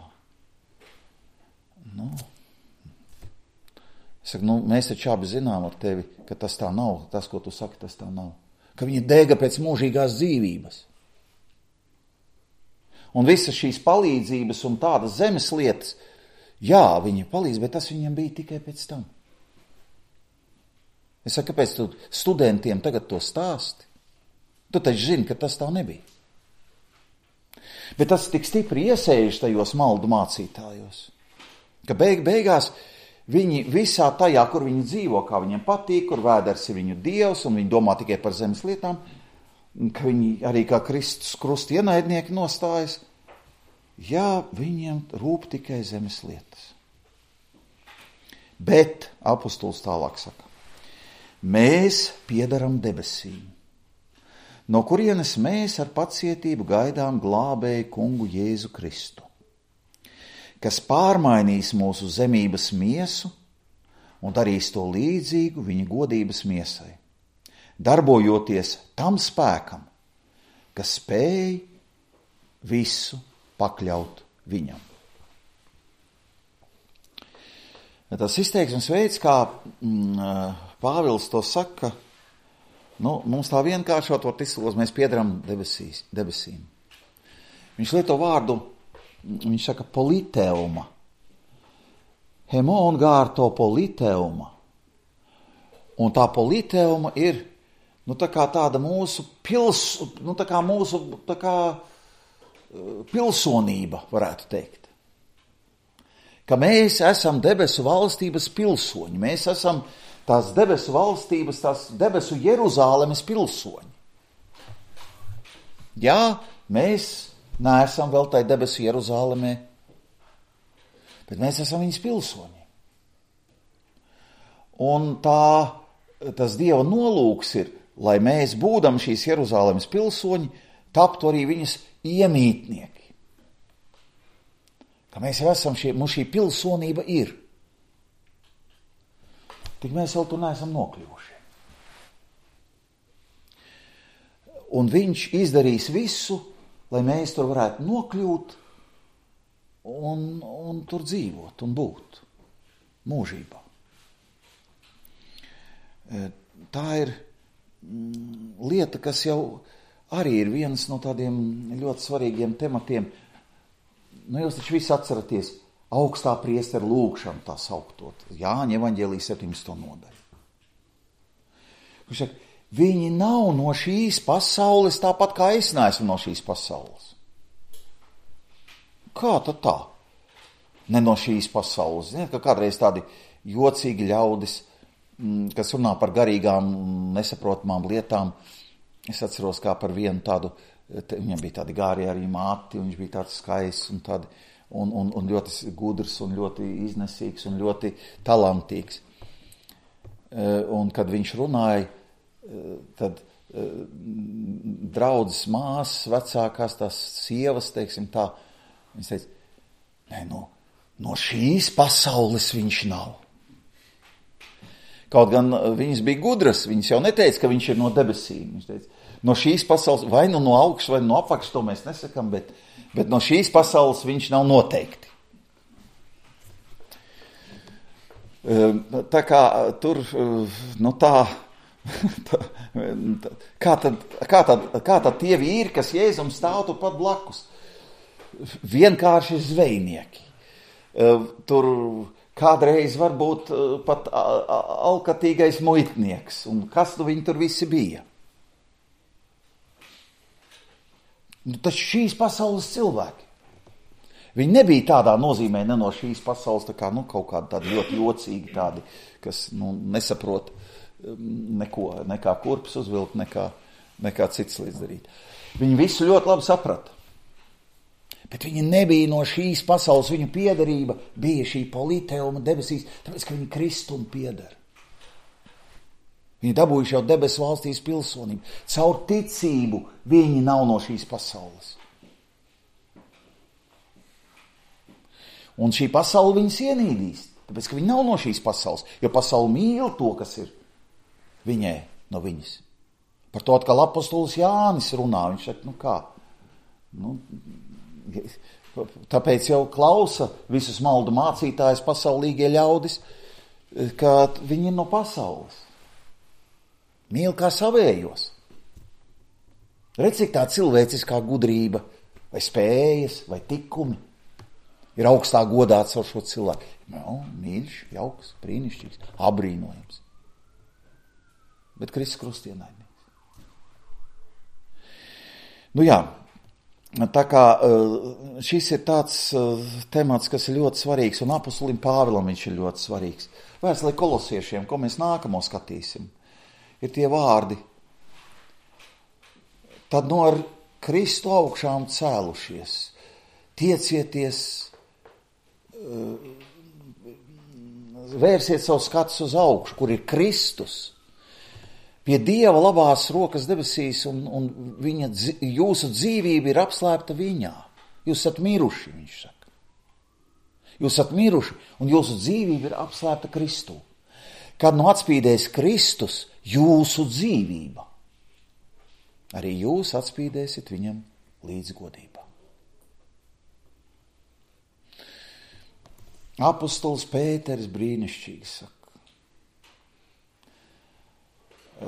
Es saku, mēs taču abi zinām ar tevi, ka tas tā nav, tas, ko tu saki, tas tā nav. Ka viņa dega pēc mūžīgās dzīvības. Un visas šīs palīdzības un tādas zemes lietas, jā, viņi palīdz, bet tas viņam bija tikai pēc tam. Es saku, kāpēc tu studentiem tagad to stāsti? Tu taču zini, ka tas tā nebija. Bet tas tik stipri iesēžas tajos maldu mācītājos, ka beigās viņi visā tajā, kur viņi dzīvo, kā viņiem patīk, kur vēders ir viņu dievs un viņi domā tikai par zemes lietām, ka viņi arī kā Kristus krusta ienaidnieki nostājas, jā, viņiem rūp tikai zemes lietas. Bet apostols tālāk saka, mēs piedaram debesīm, no kurienes mēs ar pacietību gaidām glābēju kungu Jēzu Kristu, kas pārmainīs mūsu zemības miesu un darīs to līdzīgu viņa godības miesai, darbojoties tam spēkam, kas spēj visu pakļaut viņam. Tas izteiksmes veids, kā Pāvils to saka, mums tā vienkāršot var izslūgt, mēs piedaram debesīm. Viņš lieto vārdu, viņš saka politeuma. Hemon gārto politeuma. Un tā politeuma ir, tā kā tāda mūsu pilsonība, varētu teikt. Ka mēs esam debesu valstības pilsoņi, mēs esam tās debesu valstības, tās debesu Jeruzālemes pilsoņi. Jā, mēs neesam vēl tai debesu Jeruzālemē, bet mēs esam viņas pilsoņi. Un tas Dieva nolūks ir, lai mēs, būdam šīs Jeruzālemes pilsoņi, taptu arī viņas iemītnieki. Ka mēs jau esam mums šī pilsonība ir. Tik mēs vēl tur neesam nokļuvuši. Un viņš izdarīs visu, lai mēs tur varētu nokļūt un tur dzīvot un būt mūžībā. Tā ir lieta, kas jau arī ir viens no tādiem ļoti svarīgiem tematiem. Jūs taču visi atceraties augstā priestera lūgšanu, tā sauktot, Jāņa evaņģēlija 17. nodaļu. Viņš saka, viņi nav no šīs pasaules tāpat kā es neesmu no šīs pasaules. Kā tad tā? Ne no šīs pasaules. Ziniet, ka kādreiz tādi jocīgi ļaudis, kas runā par garīgām, nesaprotamām lietām. Es atceros, kā par vienu tādu, viņam bija tādi gāri arī māti, un viņš bija tāds skaists un tādi, un ļoti gudrs, un ļoti iznesīgs, un ļoti talantīgs. Un kad viņš runāja, tad draudzes māsas, vecākās tās sievas, teiksim tā, viņš teica, no šīs pasaules viņš nav. Kaut gan viņas bija gudras, viņas jau neteica, ka viņš ir no debesīm. Viņš teica, no šīs pasaules, vai no augšas, vai no apakšas, to mēs nesakam, bet no šīs pasaules viņš nav noteikti. Tā kā tur, kā tad tie vīri, kas Jēzum stāv tur pat blakus? Vienkārši zvejnieki. Tur kādreiz varbūt pat alkatīgais muitnieks. Un kas viņi tur visi bija? Taču šīs pasaules cilvēki. Viņi nebija tādā nozīmē ne no šīs pasaules, tā kā kaut kādi tādi ļoti jocīgi tādi, kas nesaprot neko, nekā kurpes uzvilkt, nekā cits līdz darīt. Viņi visu ļoti labi saprata. Bet viņi nebija no šīs pasaules, viņu piederība bija šī politeuma debesīs, tāpēc, ka viņi Kristum pieder. Viņi dabūjuši jau debesu valstīs pilsonību. Caur ticību viņi nav no šīs pasaules. Un šī pasaule viņus ienīdīs, tāpēc, ka viņi nav no šīs pasaules, jo pasaule mīl to, kas ir viņai no viņas. Par to atkal apostolis Jānis runā, viņš saka, kā? Tāpēc jau klausa visus maldu mācītājus pasaulīgie ļaudis, ka viņi ir no pasaules. Mīl kā savējos. Redz, cik tā cilvēciskā gudrība, vai spējas, vai tikumi ir augstā godāts ar šo cilvēku. Mīļš, jauks, brīnišķīgs, abrīnojams. Bet Kristus krustienainīgs. Tā kā šis ir tāds temats, kas ir ļoti svarīgs, un apostolim Pāvilam viņš ir ļoti svarīgs. Vēstulē kolosiešiem, ko mēs nākamo skatīsim, ir tie vārdi. Tad no ar Kristu augšām cēlušies, tiecieties, vērsiet savu skatus uz augšu, kur ir Kristus, pie Dieva labās rokas debesīs, un jūsu dzīvība ir apslēpta viņā. Jūs esat miruši, viņš saka. Jūs esat miruši, un jūsu dzīvība ir apslēpta Kristū. Kad atspīdēs Kristus, jūsu dzīvība, arī jūs atspīdēsiet viņam līdzgodībā. Apostols Pēters brīnišķīgi saka,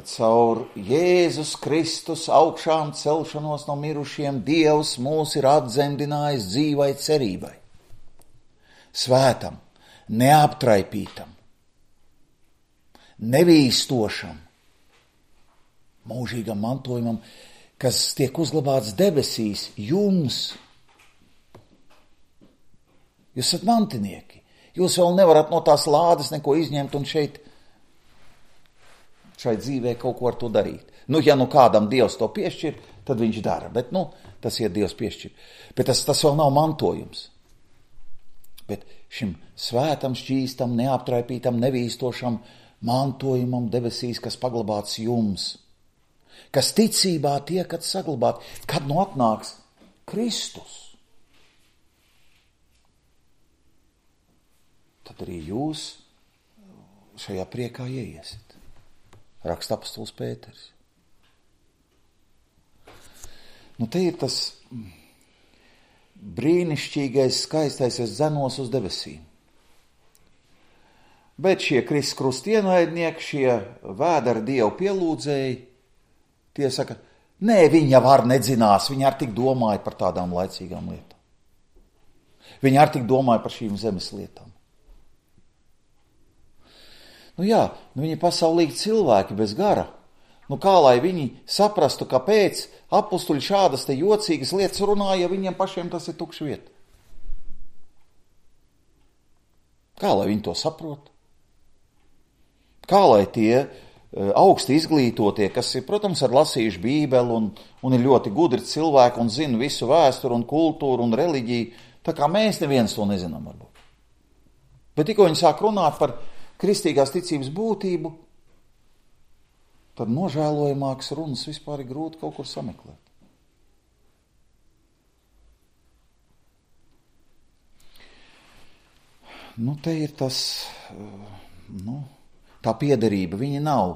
caur Jēzus Kristus augšām celšanos no mirušiem Dievs mūs ir atdzemdinājis dzīvai cerībai, svētam, neaptraipītam, nevīstošam, mūžīgam mantojumam, kas tiek uzglabāts debesīs jums. Jūs esat mantinieki. Jūs vēl nevarat no tās lādes neko izņemt un šai dzīvē kaut ko ar to darīt. Ja kādam Dievs to piešķir, tad viņš dara, bet tas ir Dievs piešķir. Bet tas vēl nav mantojums. Bet šim svētam, šķīstam, neaptraipītam, nevīstošam mantojumam debesīs, kas paglabāts jums, kas ticībā tiekat saglabāt, kad atnāks Kristus. Tad arī jūs šajā priekā ieiesiet. Raksta apostols Pēters. Te ir tas brīnišķīgais, skaistais, es dzenos uz debesīm. Bet šie Kristus krustienaidnieki, šie vēderi Dievu pielūdzēji, tie saka, nē, viņi jau ar nedzinās, viņi ar tik domāja par tādām laicīgām lietām. Viņi ar tik domāja par šīm zemes lietām. Viņi ir pasaulīgi cilvēki bez gara. Kā lai viņi saprastu, kāpēc apustuļi šādas te jocīgas lietas runāja, ja viņiem pašiem tas ir tukša vieta? Kā lai viņi to saprot? Kā lai tie augsti izglītotie, kas ir, protams, ar lasījuši Bībeli un ir ļoti gudri cilvēki un zina visu vēsturu un kultūru un reliģiju, tā kā mēs neviens to nezinām varbūt. Bet tikko viņi sāk runāt par kristīgās ticības būtību, tad nožēlojamākas runas vispār ir grūti kaut kur sameklēt. Te ir tas, tā piederība, viņa nav,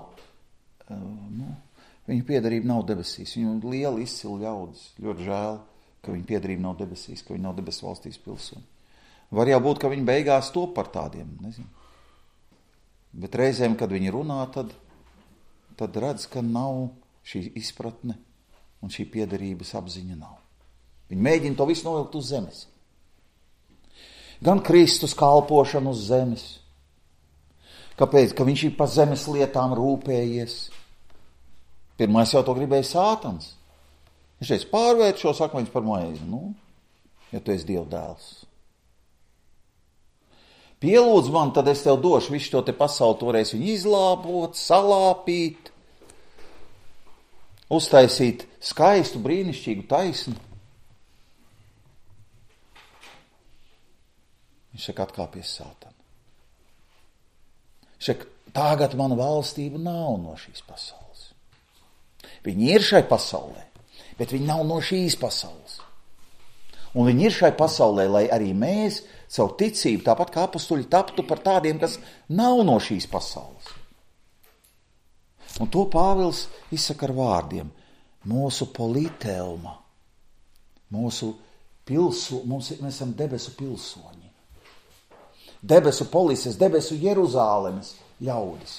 viņa piederība nav debesīs, viņa liela izcila ļaudis, ļoti žēl, ka viņa piederība nav debesīs, ka viņa nav debesu valstīs pilsoņi. Var jau būt, ka viņi beigās to par tādiem, nezinu. Bet reizēm, kad viņi runā, tad redz, ka nav šī izpratne un šī piederības apziņa nav. Viņi mēģina to visu novilkt uz zemes. Gan Kristus kalpošanu uz zemes. Kāpēc? Ka viņš ir par zemes lietām rūpējies. Pirmais jau to gribēja Sātans. Viņš teica, pārvērt šos akmeņus par maizi. Ja tu esi Dieva dēls. Pielūdz man, tad es tev došu visu to te pasauli, tu varēsi viņu izlāpot, salāpīt, uztaisīt skaistu, brīnišķīgu taisni. Viņš saka, atkāpies Sātana. Viņš saka, Tagad mana valstība nav no šīs pasaules. Viņi ir šai pasaulē, bet viņi nav no šīs pasaules. Un viņi ir šai pasaulē, lai arī mēs savu ticību, tāpat kā apustuļi, taptu par tādiem, kas nav no šīs pasaules. Un to Pāvils izsaka ar vārdiem. Mūsu politeuma, mūsu mēs esam debesu pilsoņi. Debesu polises, debesu Jeruzālemes ļaudis.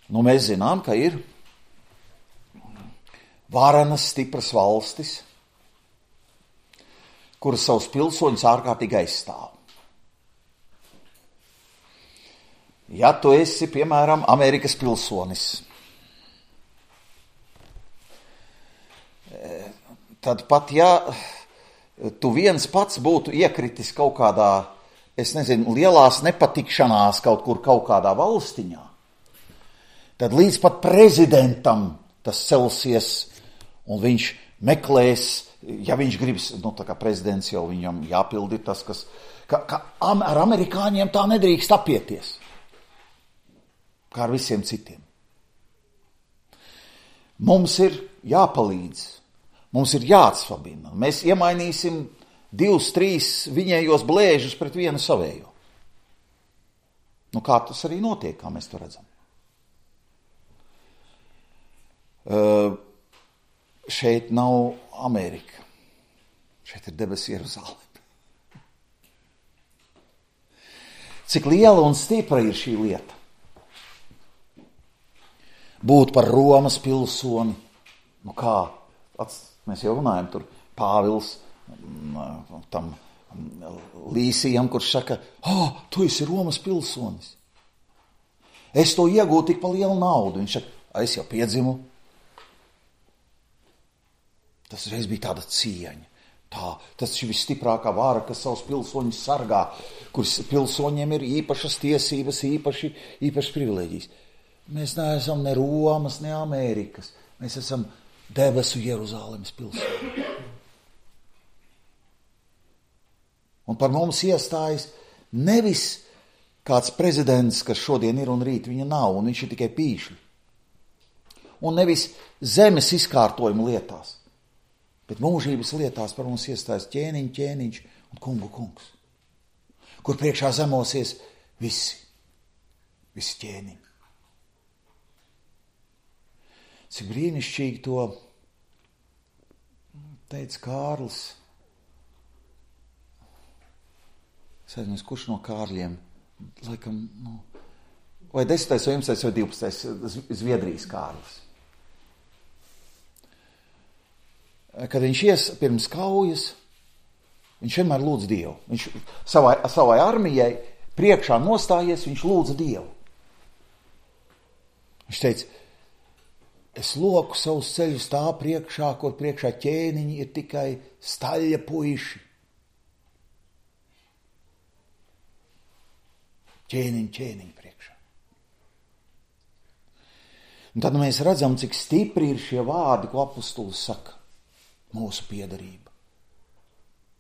Nu, mēs zinām, ka ir varenas, stipras valstis, kuras savus pilsoņus ārkārtīgi aizstāv. Ja tu esi, piemēram, Amerikas pilsonis, tad pat ja tu viens pats būtu iekritis kaut kādā, lielās nepatikšanās kaut kur kaut kādā valstiņā, tad līdz pat prezidentam tas celsies un viņš meklēs, ja viņš gribas, tā kā prezidents jau viņam jāpildi tas, ka ar amerikāņiem tā nedrīkst apieties, kā ar visiem citiem. Mums ir jāpalīdz, mums ir jāatsvabina. Mēs iemainīsim 2-3 viņējos blēžus pret vienu savējo. Nu, kā tas arī notiek, kā mēs to redzam. Šeit nav Amerika. Šeit ir debesu Jeruzāleme. Cik liela un stipra ir šī lieta? Būt par Romas pilsoni. Nu kā? Mēs jau runājam tur Pāvils tam Līsijam, kurš saka, tu esi Romas pilsonis. Es to iegūtu tik pa lielu naudu. Viņš saka, es jau piedzimu. Tas reiz bija tāda cieņa. Tas ir visstiprākā vāra, kas savus pilsoņus sargā, kuras pilsoņiem ir īpašas tiesības, īpašas privilēģijas. Mēs neesam ne Romas, ne Amerikas. Mēs esam debesu Jeruzālemes pilsoņi. Un par mums iestājas nevis kāds prezidents, kas šodien ir un rīt viņa nav, un viņš ir tikai pīšļi. Un nevis zemes izkārtojuma lietās, bet mūžības lietās par mums iestājas ķēniņš un kungu kungs, kur priekšā zemosies visi ķēniņi. Cik brīnišķīgi to teica Kārlis. Es aizmirsu, kurš no Kārļiem, laikam, vai 10. vai 11. vai 12. Zviedrijas Kārlis. Kad viņš ies pirms kaujas, viņš vienmēr lūdz Dievu. Viņš savai armijai priekšā nostājies, viņš lūdza Dievu. Viņš teica, es loku savus ceļus tā priekšā, kur priekšā ķēniņi ir tikai staļļa puiši. Ķēniņi priekšā. Un tad mēs redzam, cik stipri ir šie vārdi, ko apustulis saka. Mūsu piederība.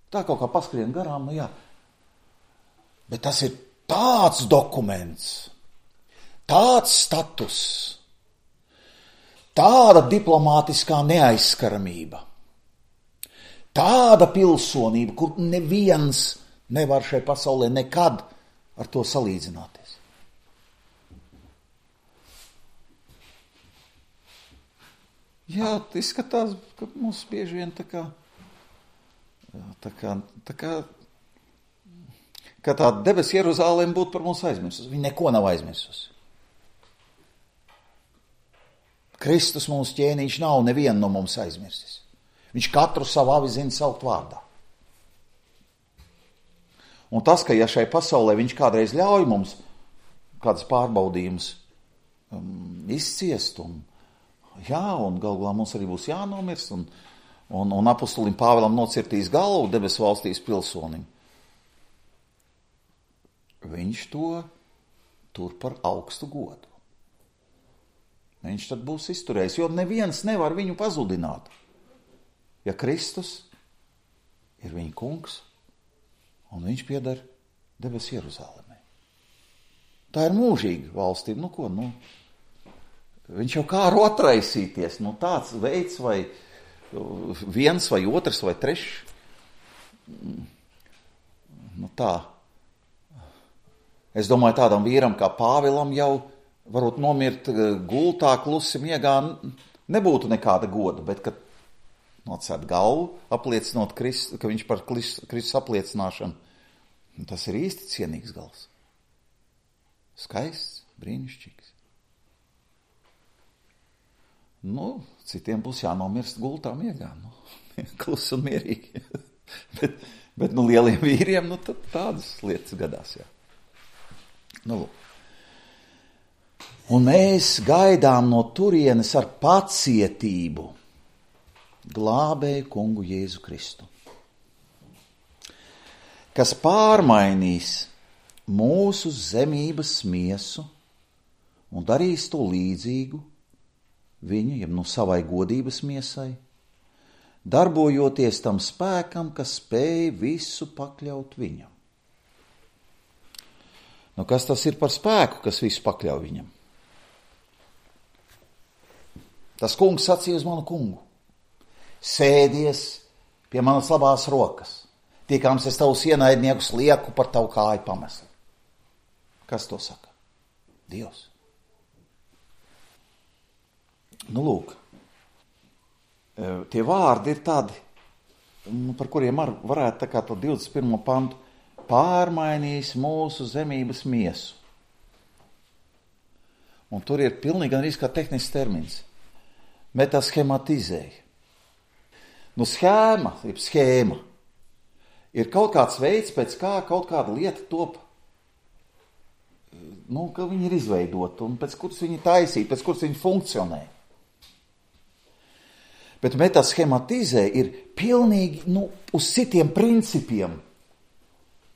Tā kaut kā paskrien garām, jā. Bet tas ir tāds dokuments, tāds status, tāda diplomātiskā neaizskaramība, tāda pilsonība, kur neviens nevar šai pasaulē nekad ar to salīdzināties. Jā, izskatās, ka mums bieži vien tā kā tā debesu Jeruzālēm būtu par mums aizmirsusi. Viņa neko nav aizmirsusi. Kristus mums ķēniņš nav nevienu no mums aizmirsis. Viņš katru savu avi zina saukt vārdā. Un tas, ka ja šai pasaulē viņš kādreiz ļauj mums kādas pārbaudījumus izciest un galvā mums arī būs jānomirst, un apustulim Pāvilam nocirtīs galvu debesu valstīs pilsonim. Viņš to tur par augstu godu. Viņš tad būs izturējis, jo neviens nevar viņu pazudināt. Ja Kristus ir viņa kungs, un viņš pieder debesu Jeruzalemē. Tā ir mūžīga valstība. Nu ko, viņš jau kā var atraisīties. Tāds veids vai viens vai otrs vai trešs. Tā. Es domāju, tādam vīram kā Pāvilam jau varbūt nomirt gultā, klusi miegā nebūtu nekāda goda, bet kad nocērt galvu, apliecinot ka viņš par Kristus apliecināšanu, tas ir īsti cienīgs gals. Skaists, brīnišķīgs. Citiem būs jānomirst gultā miegā, klusi un mierīgi. bet lieliem vīriem, tad tādas lietas gadās, jā. Un mēs gaidām no turienes ar pacietību glābēju kungu Jēzu Kristu, kas pārmainīs mūsu zemības miesu un darīs to līdzīgu viņu, jeb savai godības miesai, darbojoties tam spēkam, kas spēj visu pakļaut viņam. Kas tas ir par spēku, kas visu pakļauj viņam? Tas kungs sacīja uz manu kungu: sēdies pie manas labās rokas, tiekams es tavus ienaidniekus lieku par tavu kāju pamesli. Kas to saka? Dievs. Lūk, tie vārdi ir tādi, par kuriem varētu tā kā to 21. pantu pārmainīs mūsu zemības miesu. Un tur ir pilnīgi gan arī kā tehnisks termins. Metaschematizēja. Schēma ir kaut kāds veids, pēc kā kaut kāda lieta top, ka viņi ir izveidota un pēc kuras viņi taisīta, pēc kuras viņi funkcionē. Bet metaschematizē ir pilnīgi uz citiem principiem,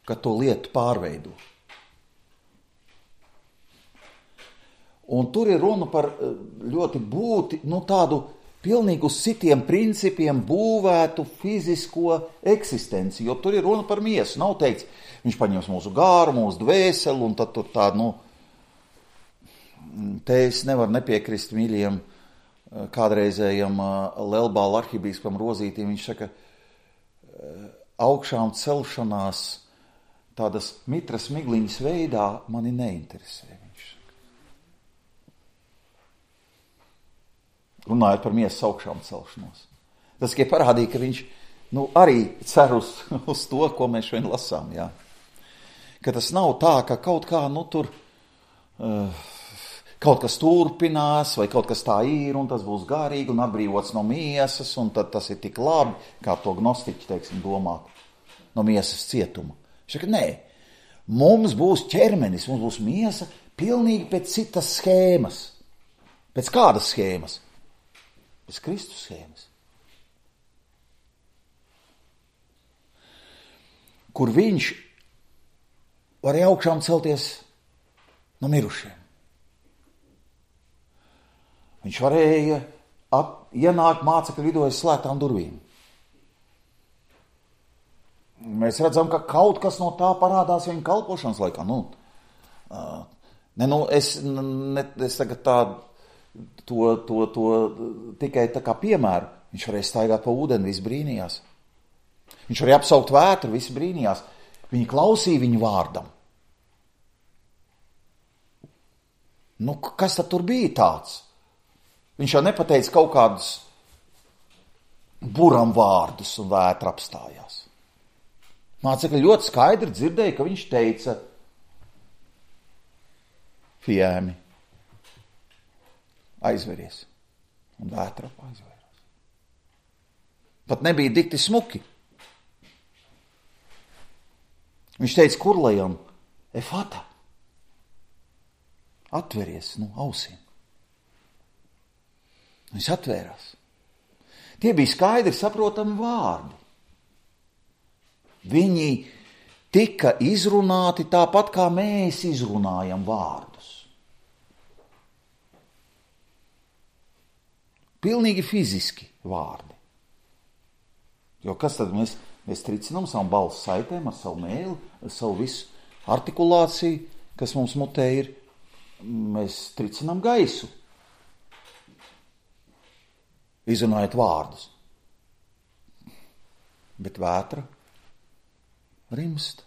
ka to lietu pārveido. Un tur ir runa par ļoti tādu pilnīgi uz citiem principiem būvētu fizisko eksistenci, jo tur ir runa par miesu. Nav teikts, viņš paņems mūsu gāru, mūsu dvēseli, un tad tur tādu, te es nevaru nepiekrist mīļiem kādreizējam Lelbāla arhibīskapam Rozītim. Viņš saka, augšām celšanās tādas mitras migliņas veidā mani neinteresē. Viņš saka. Runājot par miesas augšām celšanos. Tas tikai parādīja, ka viņš arī cer uz to, ko mēs šodien lasām. Jā. Ka tas nav tā, ka kaut kā tur kaut kas turpinās, vai kaut kas tā ir, un tas būs garīgi, un atbrīvots no miesas, un tad tas ir tik labi, kā to gnostiķi, domā, no miesas cietuma. Viņš saka, nē, mums būs ķermenis, mums būs miesa pilnīgi pēc citas schēmas. Pēc kādas schēmas? Pēc Kristus schēmas. Kur viņš varēja augšām celties no mirušiem. Viņš varēja ienākt mācekļu vidū aiz slēgtām durvīm. Mēs redzam, ka kaut kas no tā parādās viņa kalpošanas laikā. Es tagad to tikai tā kā piemēru. Viņš varēja staigāt pa ūdeni, visi brīnījās. Viņš varēja apsaukt vētru, visi brīnījās. Viņi klausīja viņu vārdam. Kas tad tur bija tāds? Viņš jau nepateica kaut kādus buram vārdus un vētra apstājās. Mācekļi ļoti skaidri dzirdēja, ka viņš teica Fiemi, aizveries. Un vētra aizvērās. Pat nebija dikti smuki. Viņš teica kurlajam, Efata, atveries ausīm. Viņš atvērās. Tie bija skaidri saprotami vārdi. Viņi tika izrunāti tāpat, kā mēs izrunājam vārdus. Pilnīgi fiziski vārdi. Jo kas tad mēs tricinām savu balsu saitēm, ar savu mēli, ar savu visu, artikulācija, kas mums mutē ir, mēs tricinām gaisu, izrunājot vārdus. Bet vētra rimst.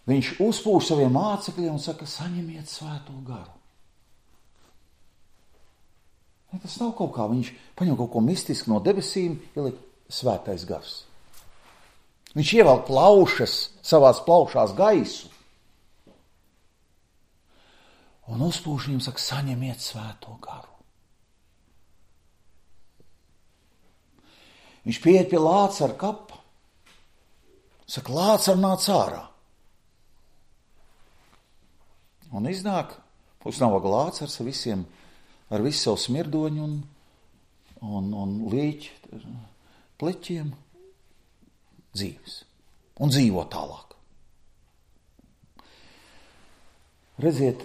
Viņš uzpūš saviem mācekļiem un saka, saņemiet svēto garu. Ja, tas nav kaut kā, viņš paņem kaut ko mistisku no debesīm, ieliek svētais gars. Viņš ievelk plaušas, savās plaušās gaisu. Un uzpūš viņiem saka, saņemiet svēto garu. Viņš pieiet pie Lācara kapa. Saka, Lācar nāc ārā. Un iznāk uz nabaga Lācars ar visu savu smirdoņu un līķi pleķiem dzīves. Un dzīvo tālāk. Redziet,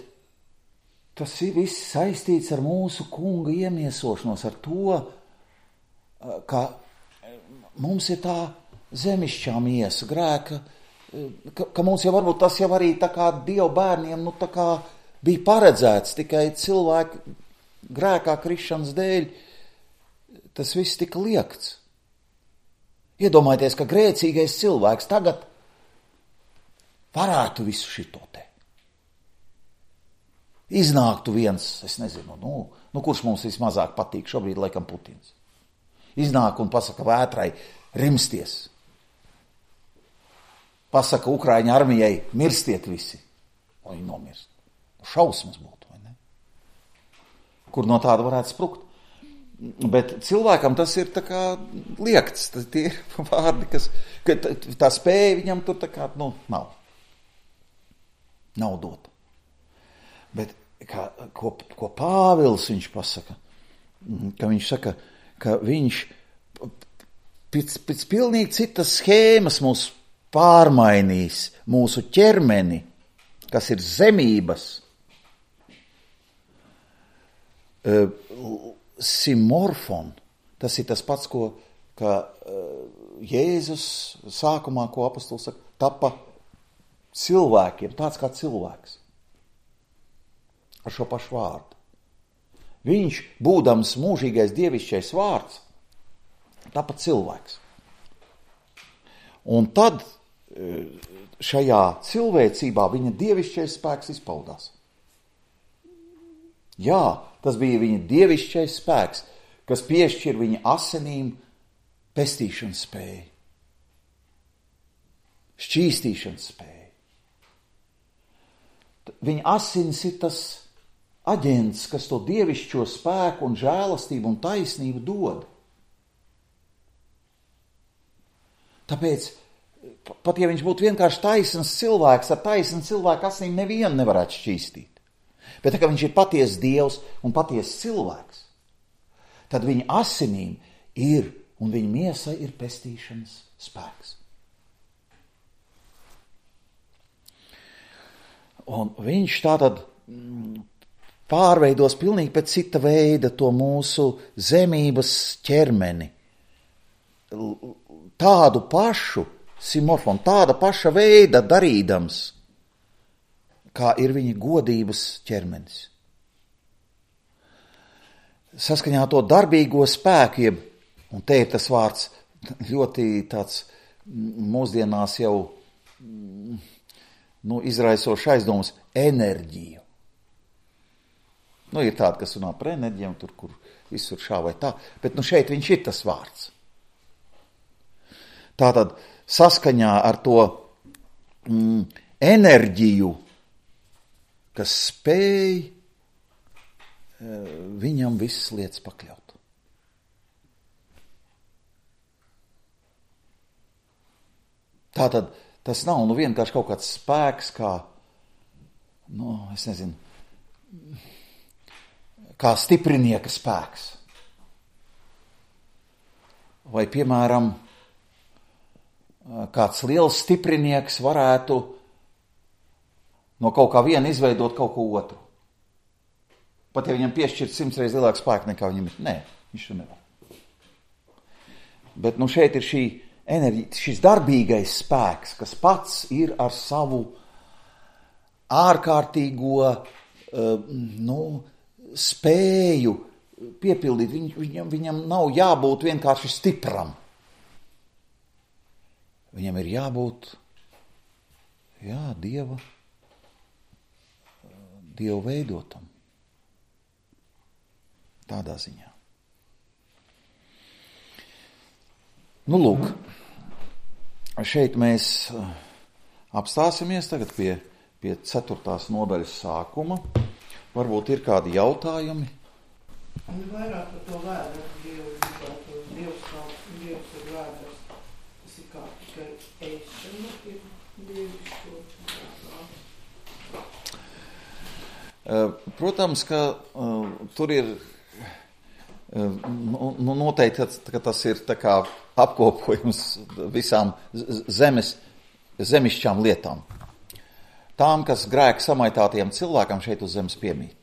tas ir viss saistīts ar mūsu kunga iemiesošanos, ar to, ka mums ir tā zemišķā miesa, grēka, ka mums jau varbūt tas jau arī tā kā Dieva bērniem, tā kā bija paredzēts tikai cilvēku grēkā krišanas dēļ, tas viss tika liekts. Iedomājieties, ka grēcīgais cilvēks tagad varētu visu šito te. Iznāktu viens, es nezinu, kurš mums vismazāk patīk šobrīd, laikam Putins. Iznāk un pasaka vētrai, rimsties. Pasaka Ukraiņu armijai, mirstiet visi. Un viņi nomirst. Šausmas būtu, vai ne? Kur no tāda varētu sprukt. Bet cilvēkam tas ir tā kā liekts. Tie ir vārdi, ka tā spēja viņam tur tā kā, nav. Nav dota. Bet ko Pāvils viņš pasaka? Ka viņš saka, ka viņš pēc pilnīgi citas schēmas mūs pārmainīs, mūsu ķermeni, kas ir zemības, simorfon, tas ir tas pats, ka Jēzus sākumā, ko apostols saka, tapa cilvēkiem, tāds kā cilvēks, ar šo pašu vārdu. Viņš, būdams mūžīgais dievišķais vārds, tapa cilvēks. Un tad šajā cilvēcībā viņa dievišķais spēks izpaudās. Jā, tas bija viņa dievišķais spēks, kas piešķir viņa asinīm pestīšanas spēju, šķīstīšanas spēju. Viņa asins ir tas aģents, kas to dievišķo spēku un žēlastību un taisnību dod. Tāpēc, pat ja viņš būtu vienkārši taisns cilvēks, ar taisnu cilvēku asinīm nevienu nevarētu šķīstīt. Bet tā kā viņš ir patiesas Dievs un patiesas cilvēks, tad viņa asinīm ir un viņa miesai ir pestīšanas spēks. Un viņš tātad pārveidos pilnīgi pēc cita veida to mūsu zemības ķermeni. Tādu pašu simorfonu, tāda paša veida darīdams, kā ir viņa godības ķermenis. Saskaņā to darbīgo spēku, un te ir tas vārds ļoti tāds mūsdienās jau izraisošs aizdomas, enerģiju. Ir tāda, kas runā par enerģiju, tur, kur visur šā vai tā, bet šeit viņš ir tas vārds. Tātad saskaņā ar to enerģiju, kas spēj viņam visas lietas pakļaut. Tātad tas nav vienkārši kaut kāds spēks, kā, es nezinu, kā stiprinieka spēks. Vai, piemēram, kāds liels stiprinieks varētu no kaut kā viena izveidot kaut ko otru. Pat ja viņam piešķirt 100 reizes lielāku spēku nekā viņam ir. Nē, viņš to nevar. Bet šeit ir šī enerģija, šis darbīgais spēks, kas pats ir ar savu ārkārtīgo spēju piepildīt, viņam nav jābūt vienkārši stipram. Viņam ir jābūt, Dieva veidotam. Tādā ziņā. Nu, lūk, šeit mēs apstāsimies tagad pie 4. nodaļas sākuma. Varbūt ir kādi jautājumi? Un vairāk par to vēdru, Dievs ir vēdrs. Tas ir kā tikai ēšana, ir dievišķo. Protams, ka tur ir noteikti, ka tas ir tā kā apkopojums visām zemišķām lietām. Tām, kas grēka samaitātiem cilvēkam šeit uz zemes piemīt.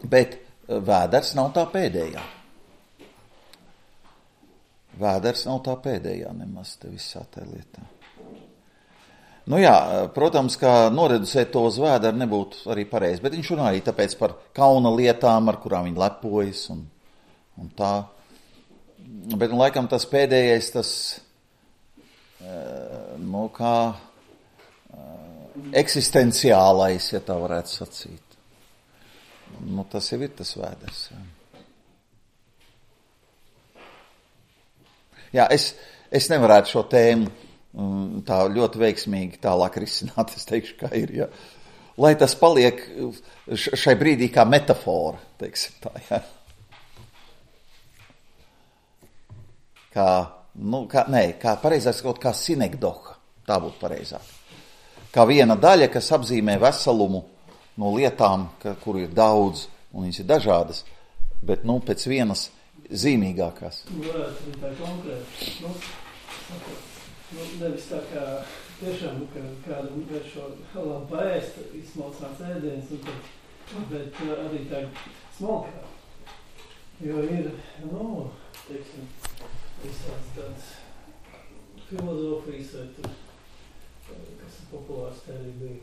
Bet vēders nav tā pēdējā. Vēders nav tā pēdējā nemaz te visā tā lietā. Nu jā, protams, ka noreducēt to uz vēderu nebūtu arī pareizi, bet viņš runā arī tāpēc par kauna lietām, ar kurām viņi lepojas un tā. Bet laikam tas pēdējais, kā eksistenciālais, ja tā varētu sacīt. Tas jau ir tas vēders. Jā, es nevarētu šo tēmu tā ļoti veiksmīgi tālāk risināt, es teikšu, kā ir, ja. Lai tas paliek šai brīdī kā metafora, teiksim tā, ja. Kā pareizāk sakot, kā sinekdoha, tā būtu pareizāk. Kā viena daļa, kas apzīmē veselumu no lietām, kuru ir daudz, un viņas ir dažādas, bet, pēc vienas zīmīgākās. Varētu būt tā konkrēti, nevis tā kā tiešām, ka kādam vērš šo labu paēst, izsmalcināts ēdienas, bet arī tā smalkā. Jo ir, teiksim, visāds tāds filozofijas vai tur, kas ir populārs, tā arī bija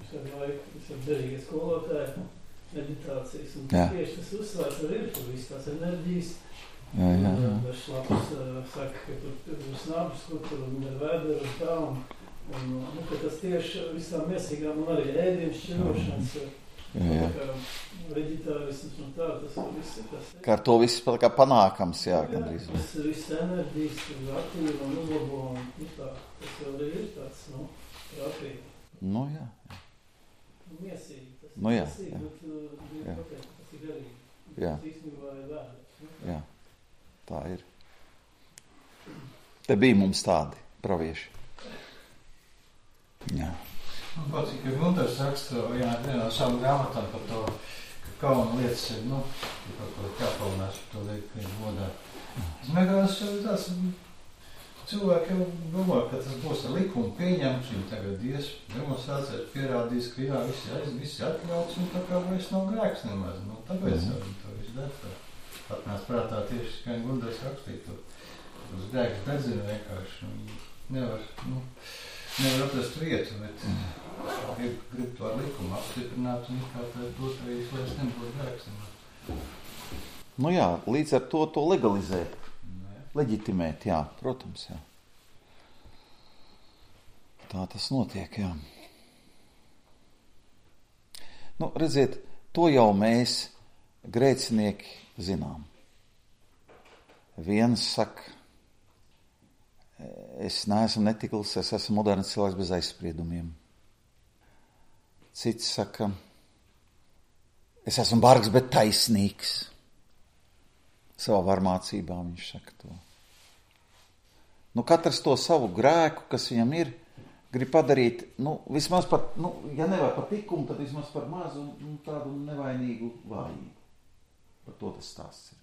visādi laiku, visādi derīgie skolotāji, meditācijas, un tieši tas uzsvērts arī ir tur viss tās enerģijas. Dažs labs saka, ka tur ir snabs, kur ir vēdera un tā, un ka tas tieši visām miesīgām un arī ēdienas šķirošanas, veģetārisms un tā, tas viss ir tas. Kā ar to viss kā panākams, gandrīz. Viss enerģijas, aktīva un uzlabo, un tā, tas jau arī ir tāds, prātīgi. Jā. Miesīgi, tas ir miesīgi, bet tas ir garīgi. Tas īstenībā ir vēders. Jā. Tā ir. Te bija mums tādi pravieši. Jā. Man patīk, ka Gundars raksta vienā savu grāmatā par to, ka kauna lietas ir, par ko jāpaunās par to lietu, ka ir godā. Es mēģinās tāds, cilvēki jau domā, ka tas būs ar likumu pieņemts, viņi tagad demonstrācijas pierādīs, ka viss atļauts, un tā kā vairs nav grēks nemaz. Tāpēc viņi to visu dara. Atnāc prātā tieši, kā Gundars rakstīja to. Uz grēks dedzina vienkārši. Nevar atrast vietu, bet grib to ar likumu apstiprināt un kā tā dot arī slēs nebūtu grēks. Līdz ar to legalizēt. Leģitimēt, protams, jā. Tā tas notiek, jā. Redziet, to jau mēs, grēcinieki, zinām. Viens saka, es neesmu netikls, es esmu moderns cilvēks bez aizspriedumiem. Cits saka, es esmu bargs, bet taisnīgs. Savā varmācībā viņš saka to. Katrs to savu grēku, kas viņam ir, grib padarīt, vismaz par, ja nevar par tikumu, tad vismaz par mazu un tādu nevainīgu vājību. Par to tas stāsts ir.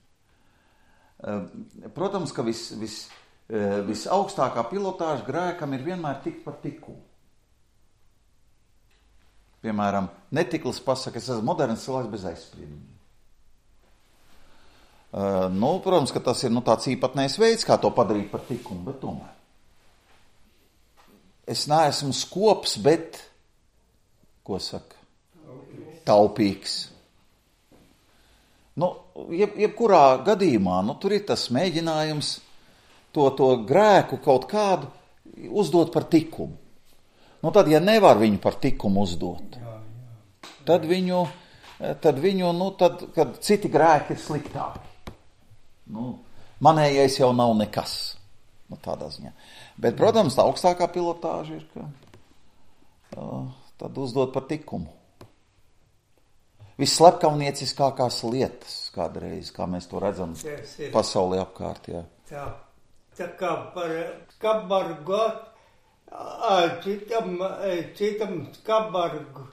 Protams, ka visaugstākā pilotāža grēkam ir vienmēr tikt par tikumu. Piemēram, netiklis pasaka, es esmu moderns cilvēks bez aizspriedumiem. Protams, ka tas ir tāds īpatnējs veids, kā to padarīt par tikumu, bet tomēr. Es neesmu skops, bet, ko saka? Taupīgs. Jebkurā gadījumā, tur ir tas mēģinājums to grēku kaut kādu uzdot par tikumu. Tad, ja nevar viņu par tikumu uzdot, tad kad citi grēki ir sliktāki. Manējais jau nav nekas. Tādā ziņā. Bet, protams, tā augstākā pilotāža ir, ka tad uzdot par tikumu. Visslepkavnieciskākās lietas kādreiz, kā mēs to redzam pasaulē apkārt. Jā. Tā kā par skabargu, citam skabargu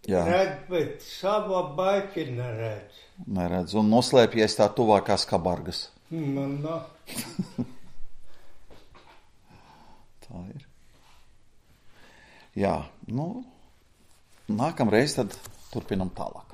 redz, bet savu baļķi neredz. Neredz, un noslēpjies tā tuvākās kabargas. Tā ir. Jā, nākamreiz tad turpinam tālāk.